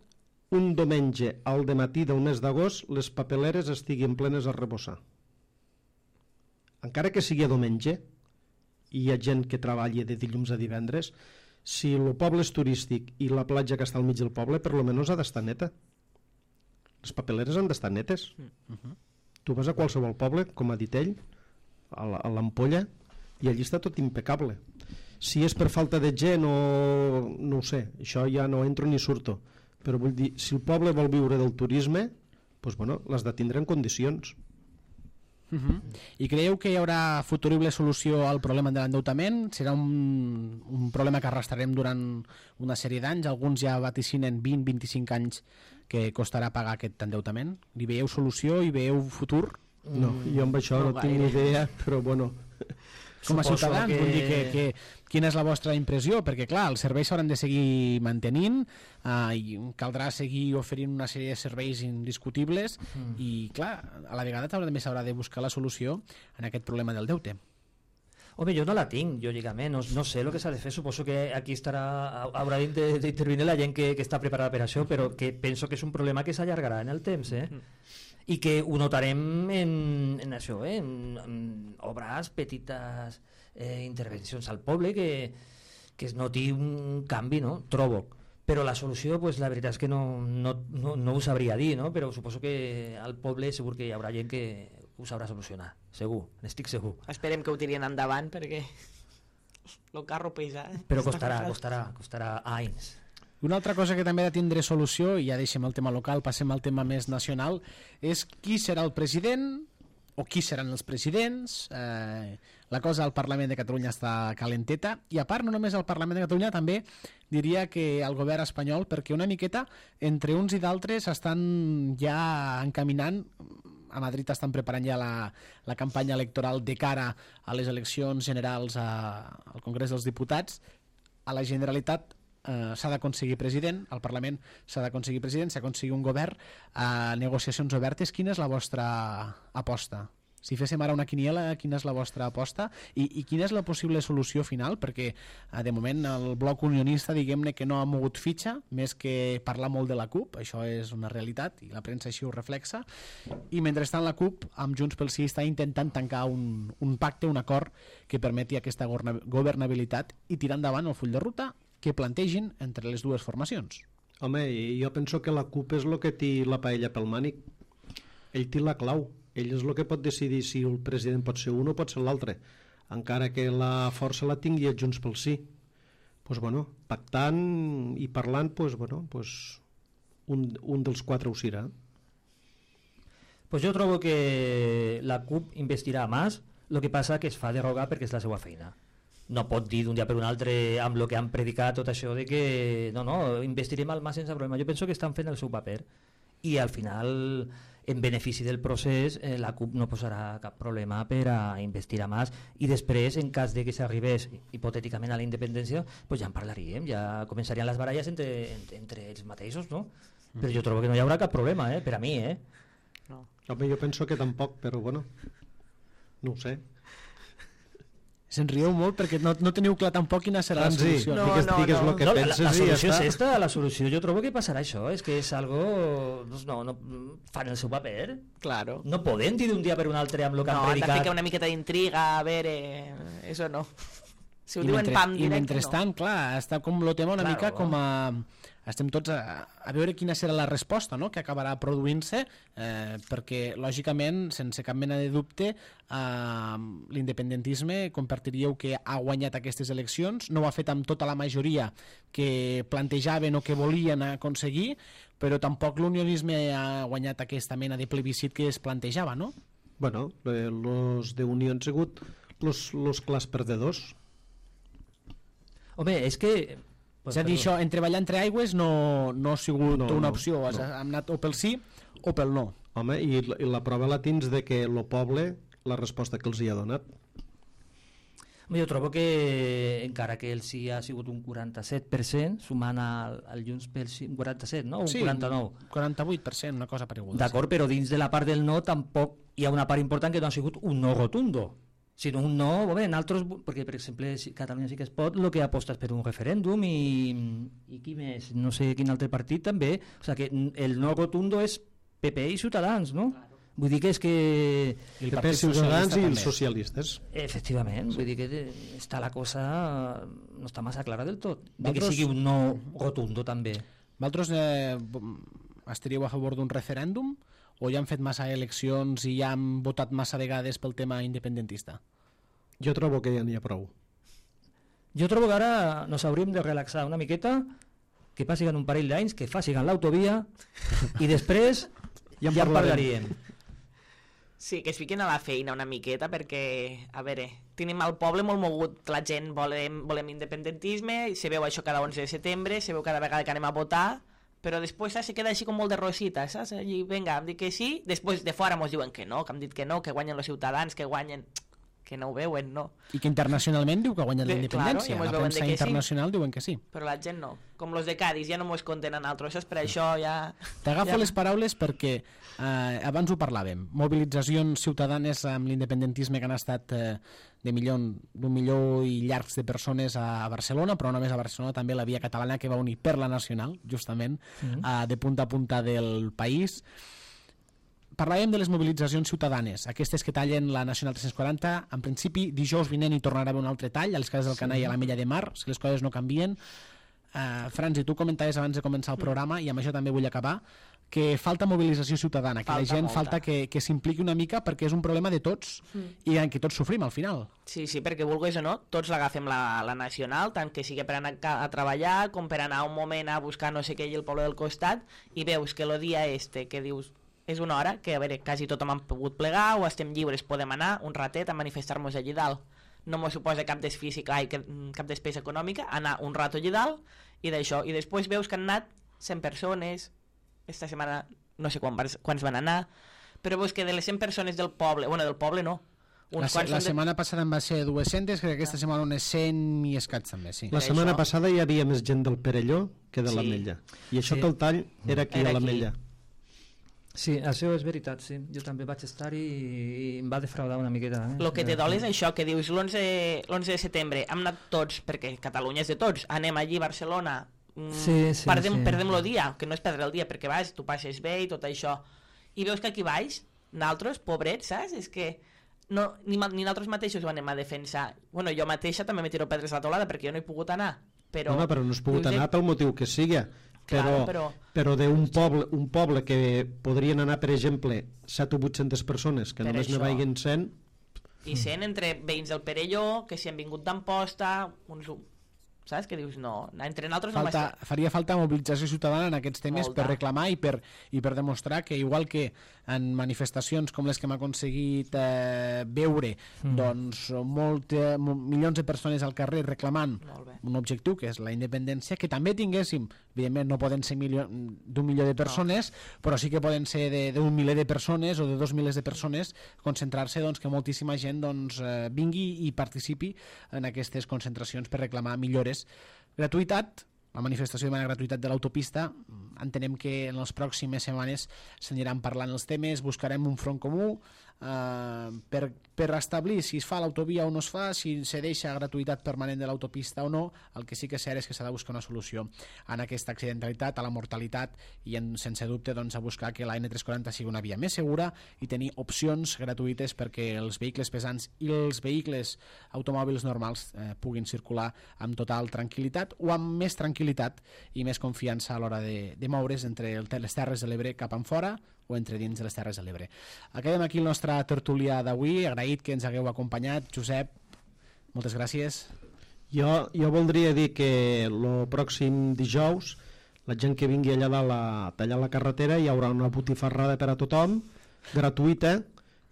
un diumenge al dematí del mes d'agost les papeleres estiguin plenes a rebossar? Encara que sigui a diumenge, i hi ha gent que treballa de dilluns a divendres, si el poble és turístic i la platja que està al mig del poble, per lo menys ha d'estar neta. Les papeleres han d'estar netes. Uh-huh. Tu vas a qualsevol poble, com ha dit ell, a l'Ampolla, i allí està tot impecable. Si és per falta de gent o no ho sé, això ja no entro ni surto, però vull dir, si el poble vol viure del turisme, doncs bueno, l'has de tindre en condicions. Uh-huh. I creieu que hi haurà futurible solució al problema de l'endeutament? Serà un, un problema que arrastrarem durant una sèrie d'anys? Alguns ja vaticinen vint a vint-i-cinc anys que costarà pagar aquest endeutament. Hi veieu solució? Hi veieu futur? No, jo amb això no, no tinc ni idea, però bueno... Com a ciutadans, que... vull dir que, que, quina és la vostra impressió? Perquè clar, els serveis s'hauran de seguir mantenint, eh, i caldrà seguir oferint una sèrie de serveis indiscutibles, mm. i clar, a la vegada també s'haurà de buscar la solució en aquest problema del deute. Home, jo no la tinc, lògicament, no, no sé el que s'ha de fer, suposo que aquí estarà, haurà d'intervenir la gent que, que està preparada per això, però que penso que és un problema que s'allargarà en el temps, eh? Mm. I que ho notarem en, en això, eh? en, en obres, petites eh, intervencions al poble, que, que es noti un canvi, no? Trobo. Però la solució, pues, la veritat és que no, no, no, no ho sabria dir, no? Però suposo que al poble segur que hi haurà gent que ho sabrà solucionar, segur, n'estic segur. Esperem que ho tirien endavant, perquè el carro pesa. Eh? Però costarà, costarà, costarà anys. Una altra cosa que també ha de tindre solució, i ja deixem el tema local, passem al tema més nacional, és qui serà el president o qui seran els presidents. Eh, la cosa al Parlament de Catalunya està calenteta, i a part no només al Parlament de Catalunya, també diria que al govern espanyol, perquè una miqueta entre uns i d'altres estan ja encaminant, a Madrid estan preparant ja la, la campanya electoral de cara a les eleccions generals a, al Congrés dels Diputats. A la Generalitat Uh, s'ha d'aconseguir president, al Parlament s'ha d'aconseguir president, s'ha d'aconseguir un govern, a uh, negociacions obertes. Quina és la vostra aposta? Si féssim ara una quiniela, quina és la vostra aposta? I, i quina és la possible solució final? Perquè uh, de moment el bloc unionista, diguem-ne que no ha mogut fitxa, més que parlar molt de la CUP, això és una realitat i la premsa així ho reflexa, i mentrestant la CUP amb Junts pel Sí està intentant tancar un, un pacte, un acord que permeti aquesta governabilitat i tirar endavant el full de ruta que plantegin entre les dues formacions. Home, jo penso que la CUP és el que té la paella pel mànic. Ell té la clau. Ell és el que pot decidir si el president pot ser un o pot ser l'altre, encara que la força la tingui a Junts pel Sí. Pues bueno, pactant i parlant, pues bueno, pues un, un dels quatre ho serà. Pues jo trobo que la CUP investirà més, el que passa que es fa derogar perquè és la seva feina. No pot dir d'un dia per un altre amb el que han predicat tot això de que no, no, investirem al mà sense problema. Jo penso que estan fent el seu paper i al final, en benefici del procés, eh, la CUP no posarà cap problema per a investir a més, i després, en cas de que s'arribés hipotèticament a la independència, pues ja en parlaríem, ja començarien les baralles entre, entre, entre ells mateixos, no? Però jo trobo que no hi haurà cap problema, eh, per a mi, eh? No. Home, jo penso que tampoc, però bueno, no ho sé. Se'n rieu molt perquè no, no teniu clar tampoc quina serà la Franzi, solució. No, digues, no, digues no. el que No, la, penses la i ja solució és està. esta, la solució jo trobo que passarà això, és que és algo, doncs no, no, fan el seu paper, Claro. no poden dir d'un dia per un altre amb el que No, han han de predicat. ficar una miqueta d'intriga, a veure... Eso no. Si ho I, diuen mentre, pam I directe, mentrestant, clar, està com lo tema una Claro. mica com a... Estem tots a, a veure quina serà la resposta, no?, que acabarà produint-se, eh, perquè, lògicament, sense cap mena de dubte, eh, l'independentisme, compartiríeu que ha guanyat aquestes eleccions, no ho ha fet amb tota la majoria que plantejaven o que volien aconseguir, però tampoc l'unionisme ha guanyat aquesta mena de plebiscit que es plantejava, no? Bueno, eh, los de Unió han sigut los, los clars perdedors. Home, és que... És a dir, això, en treballar entre aigües no, no ha sigut No, una no, opció, no. hem anat o pel sí o pel no. Home, i, la- i la prova la tens de que el poble, la resposta que els hi ha donat. Jo trobo que encara que el sí ha sigut un quaranta-set per cent, sumant al, al Junts pel sí, un quaranta-set, no? Un Sí, quaranta-nou. quaranta-vuit per cent, una cosa pareguda. D'acord, però dins de la part del no tampoc hi ha una part important que no ha sigut un no rotundo, sinó un no, bé, en altres, perquè per exemple si Catalunya sí que es pot, el que aposta és per un referèndum i, i qui més, no sé quin altre partit també, o sigui que el no rotundo és P P i Ciutadans, no? Claro. Vull dir que és que... I el P P, Partit Ciutadans Socialista i els també. socialistes. Efectivament, vull dir que està la cosa no està massa clara del tot, de que Vosaltres- sigui un no rotundo també. Vosaltres eh, estaríeu a favor d'un referèndum o ja han fet massa eleccions i ja han votat massa vegades pel tema independentista? Jo trobo que ja n'hi ha prou. Jo trobo que ara nos hauríem de relaxar una miqueta, que passin un parell d'anys, que facin l'autovia i després Ja ja, en ja en parlarem. parlaríem. Sí, que es fiquin a la feina una miqueta perquè, a veure, tenim el poble molt mogut, la gent volem, volem independentisme, se veu això cada onze de setembre, se veu cada vegada que anem a votar, però després saps, se queda així com molt de rosita, saps? Allí, vinga, hem dit que sí, després de fora mos diuen que no, que hem dit que no, que guanyen els ciutadans, que guanyen... que no ho veuen, no. I que internacionalment diu que ha guanyat la Bé, independència. claro, i mos la veuen premsa de que sí. internacional diuen que sí. Però la gent no. Com los de Cádiz, ja no mos compten a nosaltres, per això ja... T'agafo ja... les paraules perquè eh, abans ho parlàvem. Mobilitzacions ciutadanes amb l'independentisme que han estat eh, de milió, d'un milió i llargs de persones a, a Barcelona, però no només a Barcelona, també la Via Catalana que va unir per la Nacional, justament, mm-hmm. eh, de punta a punta del país. Parlàvem de les mobilitzacions ciutadanes, aquestes que tallen la Nacional tres-cents quaranta. En principi, dijous vinent hi tornarà a haver un altre tall a les cases del sí. Canà i a l'Ametlla de Mar, si les coses no canvien. Uh, Franzi, tu comentaves abans de començar el programa, i amb això també vull acabar, que falta mobilització ciutadana, que Falta la gent molta. falta que, que s'impliqui una mica perquè és un problema de tots mm. i en què tots sofrim al final. Sí, sí, perquè vulguis o no, tots l'agafem la, la nacional, tant que sigui per anar a, a treballar com per anar un moment a buscar no sé què i el poble del costat, i veus que el dia este que dius és una hora que, a veure, quasi tothom han pogut plegar o estem lliures, podem anar un ratet a manifestar-nos allí dalt. No m'ho suposa cap desfísic, ai, cap despesa econòmica, anar un rato allí dalt i d'això. I després veus que han anat cent persones, esta setmana no sé quan, quants van anar, però veus que de les cent persones del poble, bueno, del poble no, Uns la, la setmana de... passada en va ser dues-centes, crec que aquesta ah. setmana unes cent i escaig també, sí. La setmana això... passada hi havia més gent del Perelló que de sí. l'Ametlla. I això sí. que el tall era aquí era a l'Ametlla. Sí, això és veritat, sí. Jo també vaig estar i, i em va defraudar una miqueta. Eh? El que te dol és això, que dius l'onze de setembre hem anat tots, perquè Catalunya és de tots, anem allí a Barcelona, sí, sí, perdem, sí. perdem el dia, que no és perdre el dia, perquè vas, tu passes bé i tot això, i veus que aquí baix, nosaltres, pobrets, saps? És que no, ni, ni nosaltres mateixos ho anem a defensar. Bueno, jo mateixa també me tiro pedres a la teulada perquè jo no he pogut anar. Però, no, no, però no has pogut anar pel motiu que sigui. Però, claro, però, però d'un poble, un poble que podrien anar, per exemple, set o vuit-centes persones, que només ne vagin cent... I cent entre veïns del Perelló, que si han vingut d'Amposta, uns... saps? Que dius, no, entre nosaltres falta, no faria falta mobilització ciutadana en aquests temes Molta. per reclamar i per, i per demostrar que igual que en manifestacions com les que hem aconseguit eh, veure mm. doncs molt, eh, milions de persones al carrer reclamant un objectiu que és la independència, que també tinguéssim, evidentment no poden ser d'un milió de persones, no. però sí que poden ser d'un miler de persones o de dos milers de persones, concentrar-se doncs, que moltíssima gent doncs, eh, vingui i participi en aquestes concentracions per reclamar millores. Gratuïtat, la manifestació de manera gratuïtat de l'autopista, entenem que en les pròximes setmanes s'aniran parlant els temes, buscarem un front comú, eh, per, per establir si es fa l'autovia o no es fa, si se deixa gratuïtat permanent de l'autopista o no. El que sí que és cert és que s'ha de buscar una solució en aquesta accidentalitat, a la mortalitat, i en, sense dubte doncs, a buscar que la ene tres quaranta sigui una via més segura i tenir opcions gratuïtes perquè els vehicles pesants i els vehicles automòbils normals eh, puguin circular amb total tranquil·litat o amb més tranquil·litat i més confiança a l'hora de, de moure's entre el, les Terres de l'Ebre cap enfora o entre dins de les Terres de l'Ebre. Acabem aquí el nostre tertulià d'avui, agraït que ens hagueu acompanyat. Josep, moltes gràcies. Jo, jo voldria dir que el pròxim dijous la gent que vingui allà dalt a tallar la carretera hi haurà una botifarrada per a tothom, gratuïta,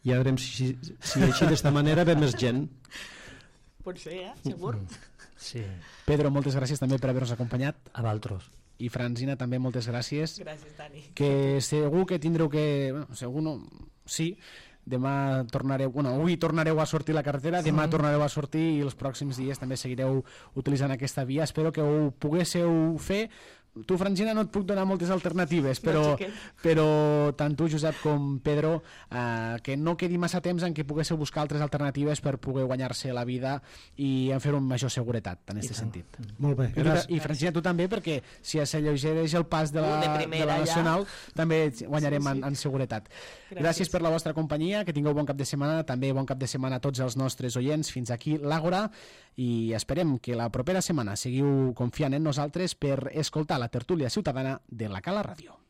i ja veurem si, si així d'esta manera ve més gent. Pot ser, eh? Segur. Sí. Pedro, moltes gràcies també per haver-nos acompanyat. A vosaltres. I Francina, també moltes gràcies. Gràcies, Dani. Que segur que tindreu que... Bueno, segur no... Sí, demà tornareu... Bueno, avui tornareu a sortir a la carretera, demà tornareu a sortir i els pròxims dies també seguireu utilitzant aquesta via. Espero que ho poguéssiu fer. Tu, Francina, no et puc donar moltes alternatives, però, però tant tu, Josep, com Pedro, eh, que no quedi massa temps en què poguéssiu buscar altres alternatives per poder guanyar-se la vida i en fer-ho amb major seguretat, en aquest sentit. Molt bé, gràcies. I, Francina, tu també, perquè si s'alleugereix el pas de la, de primera, de la Nacional, ja. també guanyarem sí, sí. En, en seguretat. Gràcies. Gràcies per la vostra companyia, que tingueu bon cap de setmana, també bon cap de setmana a tots els nostres oients. Fins aquí l'Àgora, i esperem que la propera setmana seguiu confiant en nosaltres per escoltar la tertúlia ciutadana de la Cala Ràdio.